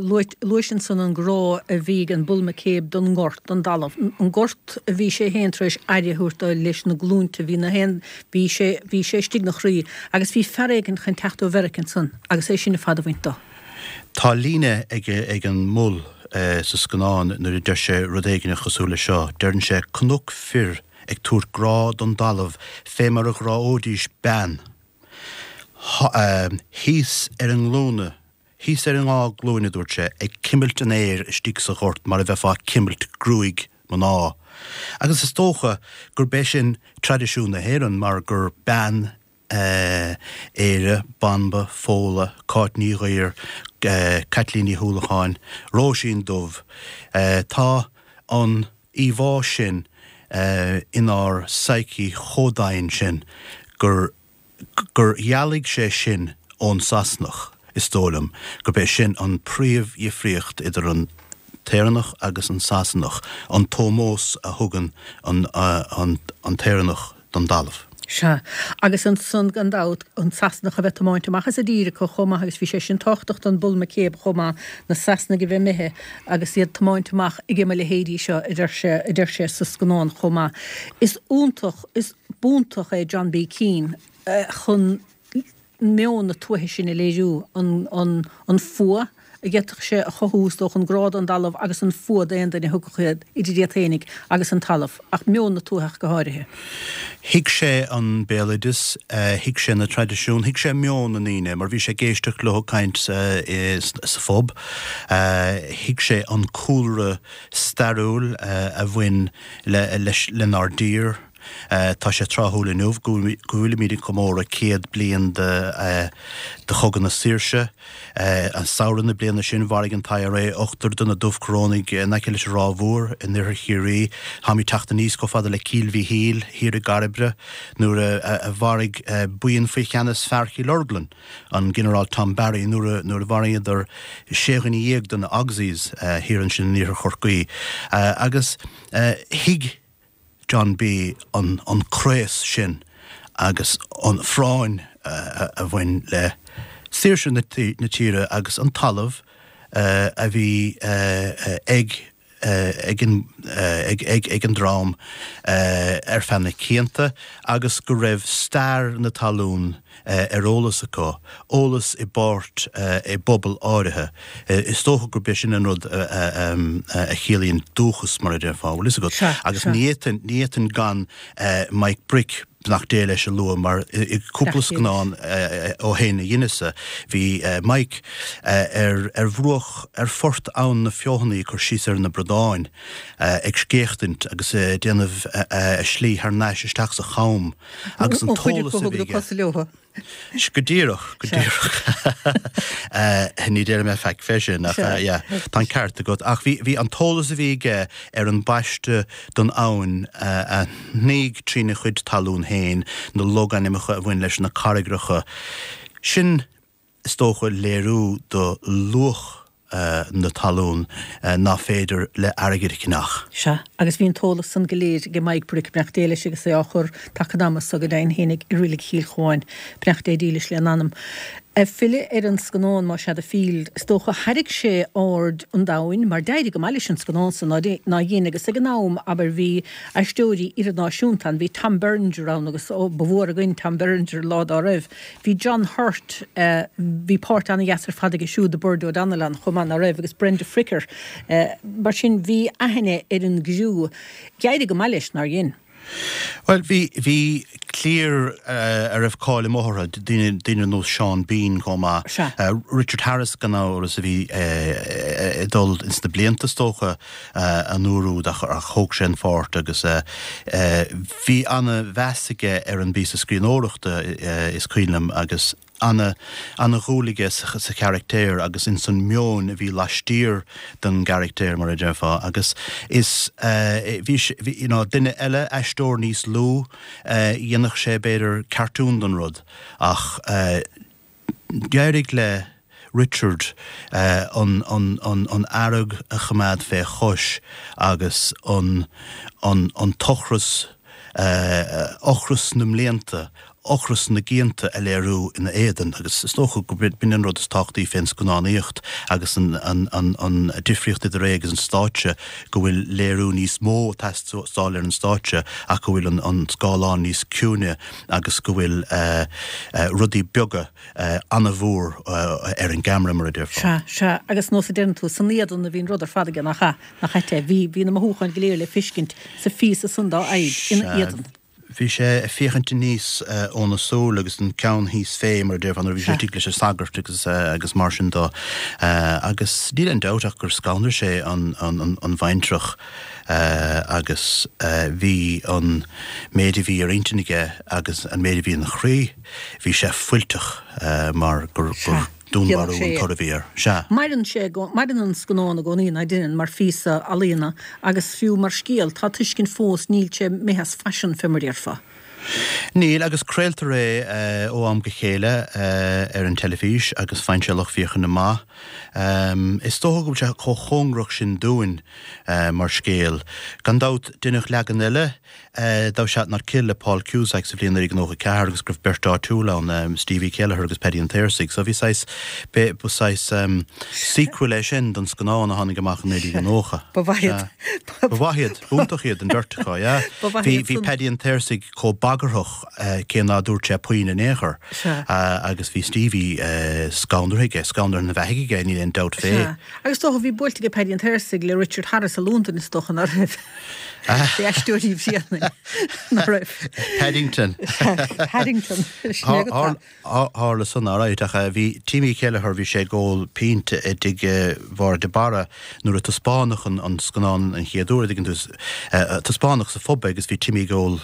luais ansan an grá a bhí ag an Bull McCabe don ngort, don dtalamh, an gort a bhí sé féin tar éis aire a thabhairt dó leis na glúinte, bhí na haon, bhí sé, bhí sé istigh 'na chroí agus bhí fear éigin chun teacht ó Mheirice ansan agus é sin ar fad a bhaint dó. Tá líne ag an mBull sa scannán nuair a deir sé rud éigin cosúil le seo, deireann sé 'Chonac fir ag tabhairt grá don dtalamh fé mar a ghráóidís bean. Thíos ar a nglúine, thíos ar a ndá glúine, a dúirt sé, ag cimilt an fhéir istigh sa ghort mar a bheifeá ag cimilt gruaig mná. Agus is dócha gurb é sin traidisiún na hÉireann mar gur bean Éire, Banba, Fódhla, Cáit Ní Ghaoir, Caitlín Ní hUallacháin, Róisín Dubh. Tá an íomhá sin inár psyche chomh domhain sin gur gur dhealaigh sé sin ón Sasanach, is dóigh liom, gurb é sin an príomhdhifríocht idir an tÉireannach agus an Sasanach, an t-ómós a thugann an tÉireannach don dtalamh. Sea. Agus ansan, gan dabht, an Sasanach a bheith tiomáint amach as a dtír acu chomh maith agus bhí sé sin tábhachtach don Bull McCabe chomh maith, na Sasanaigh a bheith imithe agus iad tiomáint amach ag mo leithéidí seo, a deir sé, a deir sé sa scannán chomh maith. Is iontach, is b'iontach é John B. Keane chun meon na tuaithe sin a léiriú, an fuath a d'fhéadfadh sé a chothú, is dócha, an grá don dtalamh agus an fuath d'aon duine a thiocfadh idir iad féinig agus an talamh, ach meon na tuaithe ach go háirithe. Thuig sé an béaloideas, thuig sé na traidisiúin, thuig sé meon na ndaoine, mar bhí sé ag éisteacht leo ag caint sa phub, thuig sé an cúlra stairiúil a bhain lenár dtír. Tá sé tráthúil inniu go bhfuilimid ag comóradh 100 bliain de Chogadh na Saoirse. An samhradh na bliana sin, mharaigh an t-IRA ochtar de na Dubhchorónaigh in aice leis an Ráth Mhór in oirthear Chiarraí. Táimid ag teacht aníos chomh fada le Cill Mhichíl thiar i gCairbre nuair a mharaigh buíon faoi cheannas fear Chill Orglan, an Ginearál Tom Barry, nuair a mharaíodar sé dhuine dhéag de na Auxies thiar ansin in iarthar Chorcaí. Agus thuig. John B an craos sin agus an phráinn a bhain le saoirse na tíre agus an talamh a bhí ag ag an dream ar feadh na cianta agus go raibh stair na talún ar eolas acu, eolas i bpáirt i bpobal áirithe. Is dócha gurb é sin an rud a chiallaíonn dúchas, mar a déarfá, bhfuil fhios agat. Agus ní fhéadfainn gan Mike Brick, beannacht Dé leis, a lua mar i gcúpla scannán ó shin a dheineas-sa, bhí Mike ar ar bhruach, ar phort Abhainn na Feothanaí ag cur síos ar na bradáin, ag scéachtaint agus ag déanamh a slí thar n-ais isteach sa cham agus an t-eolas a bhí aige. Go díreach, go díreach. Ní déarfaidh mé faic fé sin ach yeah, tá an ceart agat. Ach bhí, bhí an t-eolas a bhí aige ar an bpaiste don abhainn a shnoígh trína chuid talún féin, na logainmneacha a bhain leis na carraigreacha, sin is dócha léiriú do luach na talún ná féidir le airgead a cheannach. Sea, agus bhí an t-eolas san go léir ag Mike Brick, beannacht Dé leis agus é á chur taca an ama so go deimhin fhéinig i Reilig Chill Chuáin, beannacht Dé dílis lena anam. Ag filleadh ar an scannán, más ea, The Field, is dócha, thairrig sé aird an domhain, mar d'éirigh go maith leis an scannán san, nár dhein, agus ag an am, abair, bhí aisteoirí idirnáisiúnta ann, bhí Tom Berenger ann agus, ó, ba mhór againn Tom Berenger lá dá raibh. Bhí John Hurt, bhí páirt an-dheas ar fad aige siúd i Bird O'Donnell ann chomh maith, ná raibh, agus Brenda Fricker. Mar sin, bhí aithne ar an gcriú. D'éirigh go maith leis, nár dhein? Bhuel, bhí, bhí cliar a raibh cáil amuigh orthu, daoine, daoine ar nós Sean Bean chomh maith. Sea. Richard Harris gan amhras a bhí ag dul ins na blianta is dócha an uair úd ach thóg sé an pháirt agus bhí ana-mheas aige ar an bpíosa scríbhneoireachta is cuimhin liom agus ana ana-dhúil aige sa charactéir agus ins an meon a bhí laistiar den gcaractéir mar a déarfá agus is bhí bhí you know duine eile aisteoir níos lú dhéanfadh sé b'fhéidir cartoon den rud ach D'éirigh le Richard an fhearg a choimeád fé chois agus an t-ocras, ocras na mblianta, ocras na gcianta a léiriú ina éadan agus is dócha go b'in an rud is tábhachtaí fén scannánaíocht agus an difríocht idir é agus an stáitse go bhfuil léiriú níos mó ag teastáil ar an stáitse ach go bhfuil an scáileán níos ciúine agus go bhfuil rudaí beaga an-mhór ar an gceamara, mar a déarfá. Sea, sea, agus nós a deireann tú, san éadan a bhí an rud ar fad aige, nach ea? Nach ait é? Bhí, bhí na mothúcháin go léir le feiscint sa phíosa san dá aghaidh, ina éadan. Bhí sé ag féachaint aníos óna súil agus an ceann thíos fé, mar a déarfá, nuair a bhí sé istigh leis an sagart agus, agus mar sin dó. Agus níl aon dabht ach gur scanraigh sé an, an, an bhaintreach. agus bhí an méid a bhí ar intinn aige agus an méid a bhí ina chroí, bhí sé fuilteach mar gur dúnmharú an toradh a bhí air. Sea. Maireann sé, maireann an scannán i gcónaí, ná deineann, mar phíosa ealaíona agus fiú mar scéal. Tá tuiscint fós, níl sé imithe as faisean, fé mar a déarfá. Níl, agus craoltar é ó am go chéile ar an teilifís agus faigheann sé lucht féachana maith. Is dócha go bhfuil sé chomh cóngarach sin dúinn mar scéal. Gan dabht, deineadh leagan eile, Thou Shalt Not Kill le Paul Cusack sa bhliain 1994 agus go raibh beirt áitiúil ann, Stevie Kelleher agus Paddy an tSaorsaigh. So bhí saghas, ba saghas sequel é sin don scannán a tháinig amach in 1990. Ba mhaith iad. Ba mhaith iad. B'iontach iad an bheirt acu, yeah. Ba mhaith iad san. Bhí Paddy an tSaorsaigh chomh bagarthach cé ná dúirt sé puinn in aon chor. Agus bhí Stevie scanraithe aige, scanraithe ina bheathaidh aige, níl aon dabht fé. Sea. Agus is dócha, bhí buailte aige Paddy an tSaorsaigh le Richard Harris i Londain, is dócha, ná raibh? Bhí aisteoirí Bhréanainn, ná raibh? Paddington. Paddington. Sin é go tá. Tharla san, alright, ach bhí Timmy Kelleher, bhí sé ag ól pínt i dtigh Mháire de Barra nuair a taispeánadh an scannán an chéad uair, an dtuigeann tú, taispeánadh sa phub é agus bhí Timmy ag ól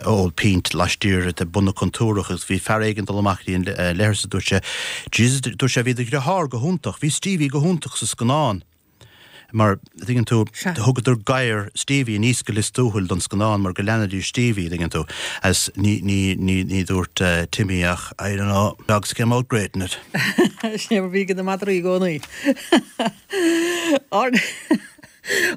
ól pínt laistiar de bun na contúrach agus bhí fear éigin ag dul amach go dtí an leithreas agus dúirt sé, Jesus, dúirt sé, bhí do dhriotháir go hiontach, bhí Stevie go hiontach sa scannán. Mar, tuigeann tú, thugadar gadhar Stevie aníos go Lios Tuathail don scannán mar go leanfaidís Stevie, tuigeann tú. Agus ní, ní, ní, ní dúirt Timmy ach, I don't know, dogs came out great in it. Sin é mar bhí ag na madraí i gcónaí.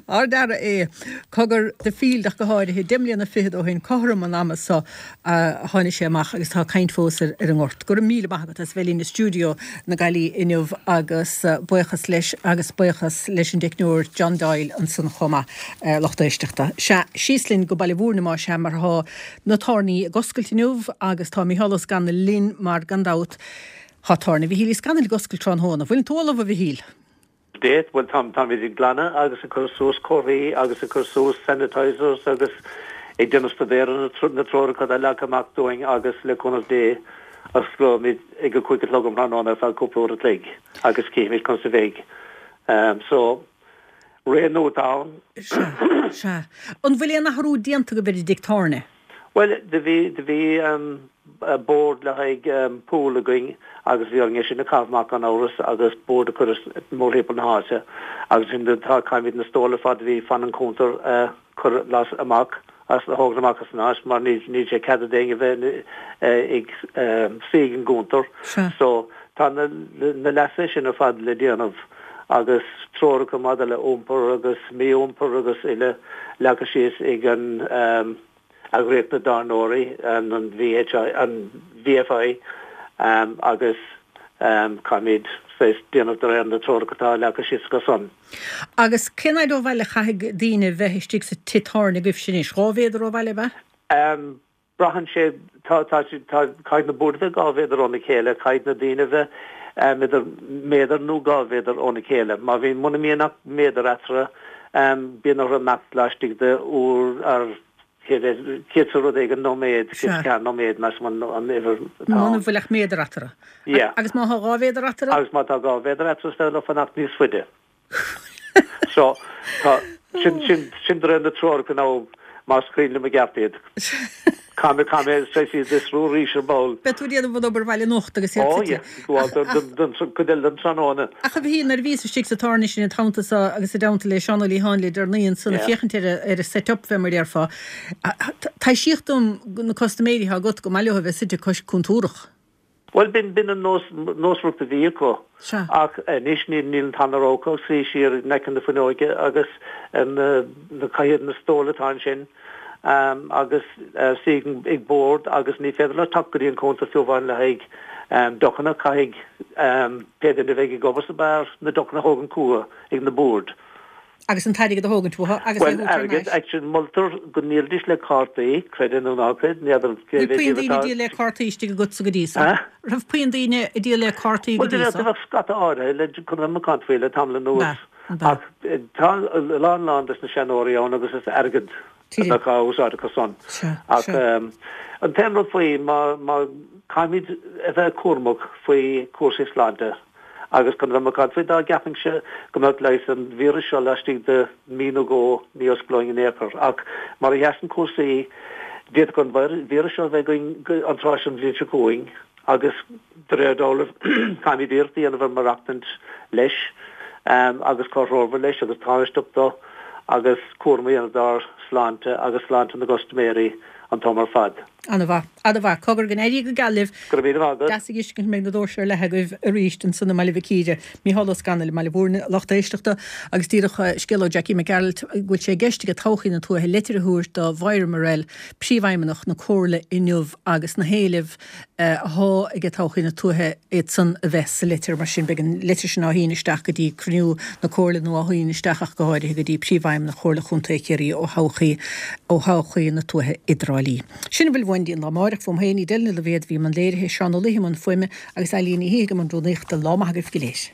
Ard-fhear é. Cogar, The Field ach go háirithe, 10 mbliana fichead ó shin, cothrom an ama so a tháinig sé amach agus tá caint fós ar an ngort. Go raibh míle maith agat as bheith linn i stiúideo na Gaillimhe inniu agus buíochas leis agus buíochas leis an dteicneoir John Doyle ansan chomh maith, lucht éisteachta. Sea, síos linn go Baile Mhúirne más ea mar tá na tábhairní ag oscailt inniu agus tá Micheál Ó Scanaill linn mar gan dabht tá tábhairne Mhichíl Uí Scanaill ag oscailt tráthnóna. Bhfuileann tú ullamh a Mhichíl? Date, Bhuel, tá, táimid ag glanadh agus ag cur suas comharthaí agus ag cur suas sanitisers agus ag déanamh staidéar ar na treoracha atá leagtha amach dúinn agus le cúnamh Dé osclóimid ag a 5 a chlog um thráthnóna ar feadh cúpla uair a chloig agus cífimid conas a bheidh. So, ré nua atá ann. Sea, sea. An bhfuil aon athrú déanta agaibh ar an dtigh tábhairne? Bhuel, do bhí, do bhí bord le haghaidh pool againn agus bhí orainn é sin a chaitheamh amach gan amhras agus bord a chur mórthimpeall na háite agus ansin tá, caithfimid na stóil ar fad a bhí fan an chuntair a chur las amach as, a thógaint amach as an áit mar níl, níl sé ceadaithe d'éinne a bheith ag suí ag an gcuntar. So tá na, na leasuithe sin ar fad le déanamh agus treoracha maidir le iompar agus mí-iompar agus uile leagtha síos ag an Eagraíocht na dTábhairneoirí, an VHI, an VFI agus caithfimid saghas déanamh de réir na treoracha atá leagtha síos acu san. Agus cén fhaid ó bhaile a chaithfidh daoine bheith istigh sa tigh tábhairne agaibhse anois? 2 mhéadar ó bhaile, ab ea? Braitheann sé, tá, tá, tá, caithfidh na boird a bheith 2 mhéadar óna chéile, caithfidh na daoine a bheith idir méadar nó 2 mhéadar óna chéile. Má bhíonn, muna mbíonn ach méadar eatarthu, bíonn orthu imeacht laistigh de uair ar chéad sa rud éigin nóiméad, 104 nóiméad, measaim an an uimhir atá ann. Muna bhfuil ach méadar eatarthu. Yeah. Agus má tá 2 mhéadar eatarthu? Agus má tá 2 mhéadar eatarthu is féidir leo fanacht níos faide. So, tá, sin, sin, sin de réir na treoracha nó más cuimhin liom i gceart iad. Caithfidh mé, caithfidh mé saghas iad a fhiosrú arís ar ball. Beidh tú ag déanamh an obair bhaile anocht agus iad Ó, yeah, gabháil don, don, don, don cuid eile den tráthnóna. Ach a Mhichíl, nuair a bhíos istigh sa tábhairne sin an t-am so agus i dteannta le Seán Ó Liatháin le deireanaí ansan ag féachaint ar a, ar a set up fé mar a déarfá, taibhsíodh dom na custaiméirí atá agat go maith leo a bheith suite cois cúntúrach. Bhuel, b'in, b'in an nós, nósmhaireacht a bhí acu. Sea. Ach anois níl, níl an tarna rogha acu ach suí siar in aice na fuinneoige agus na, na cathaoir, na stóil atá ansin agus suí ag bord agus ní féidir leo teacht go dtí an cuntar fiú amháin le haghaidh deochanna. Caithfidh pé duine a bheidh ag obair sa beár na deochanna a thógaint chucu ag na boird. Agus an t-airgead a thógaint uathu agus é a Bhuel, thabhairt thar airgead, n-ais. actually, moltar go ndíolfaidís le cártaí, creid é nó ná creid, n'fheadar cé Bhfuil mhéad puinn díobh daoine ag atá. díol le cártaí istigh agatsa go dtí so? Eh? Raibh puinn daoine ag díol le cártaí go Bhuel, do dtí bheadh, so? do bheadh scata áirithe, le, chun a bheith macánta faoi le tamall anuas. Ba, ba. Ach tá a lán, lán des na seanóirí ann agus is airgead a Tíre. bheadh á úsáid acu san. Sea, Ach sea. an t-aon rud faoi, má, má, caithfimid a bheith cúramach faoi chúrsaí sláinte. Agus chun a bheith macánta faoi, dá gceapfainnse go mbeadh leigheas ar an víreas seo laistigh de mhí nó dhó, ní osclóinn in aon chor. Ach mar a sheasann cúrsaí, d'fhéadfadh an víreas seo a bheith againn an tráth seo an bhliain seo chugainn agus de réir dealraimh caithfimid iarracht a dhéanamh ar maireachtaint leis agus comhthreomhar leis agus tánaisteach dó agus cúram a dhéanamh dár sláinte agus sláinte na gcustaiméirí an t-am ar fad. Ana-mhaith. Ana-mhaith. Cogar go n-éirí go geal libh. Go raibh míle maith agat. Deas a fheiscint go mbeidh na doirse ar leathadh agaibh arís ansan i mBaile Mhic Íre. Mícheál Ó Scanaill i mBaile Mhúirne, lucht éisteachta, agus díreach scéal ó Jackie Mac Gearailt go bhfuil sé i gceist aige Todhchaí na Tuaithe leitir a thabhairt do Mhoira Murrell, Príomhfheidhmeannach na Comhairle inniu agus na héilimh athá aige Todhchaí na Tuaithe iad san a bheith sa leitir. Mar sin beidh an leitir sin á shíneadh isteach go dtí cruinniú na Comhairle nó á shíneadh isteach ach go háirithe go dtí Príomhfheidhmeannach Chomhairle Chontae Chiarraí ó thodhchaí ó thodhchaí na tuaithe i dTrá Lí. Sin a bhfuil uainn go dtí an lá amáireach. Fúm féin, Edel Ní Loibhéad a bhí i mbun léirithe, Seán Ó Laoithe i mbun fuaime agus Eilín Ní Shíthigh i mbun rúnaíochta. Lá maith agaibh go léir.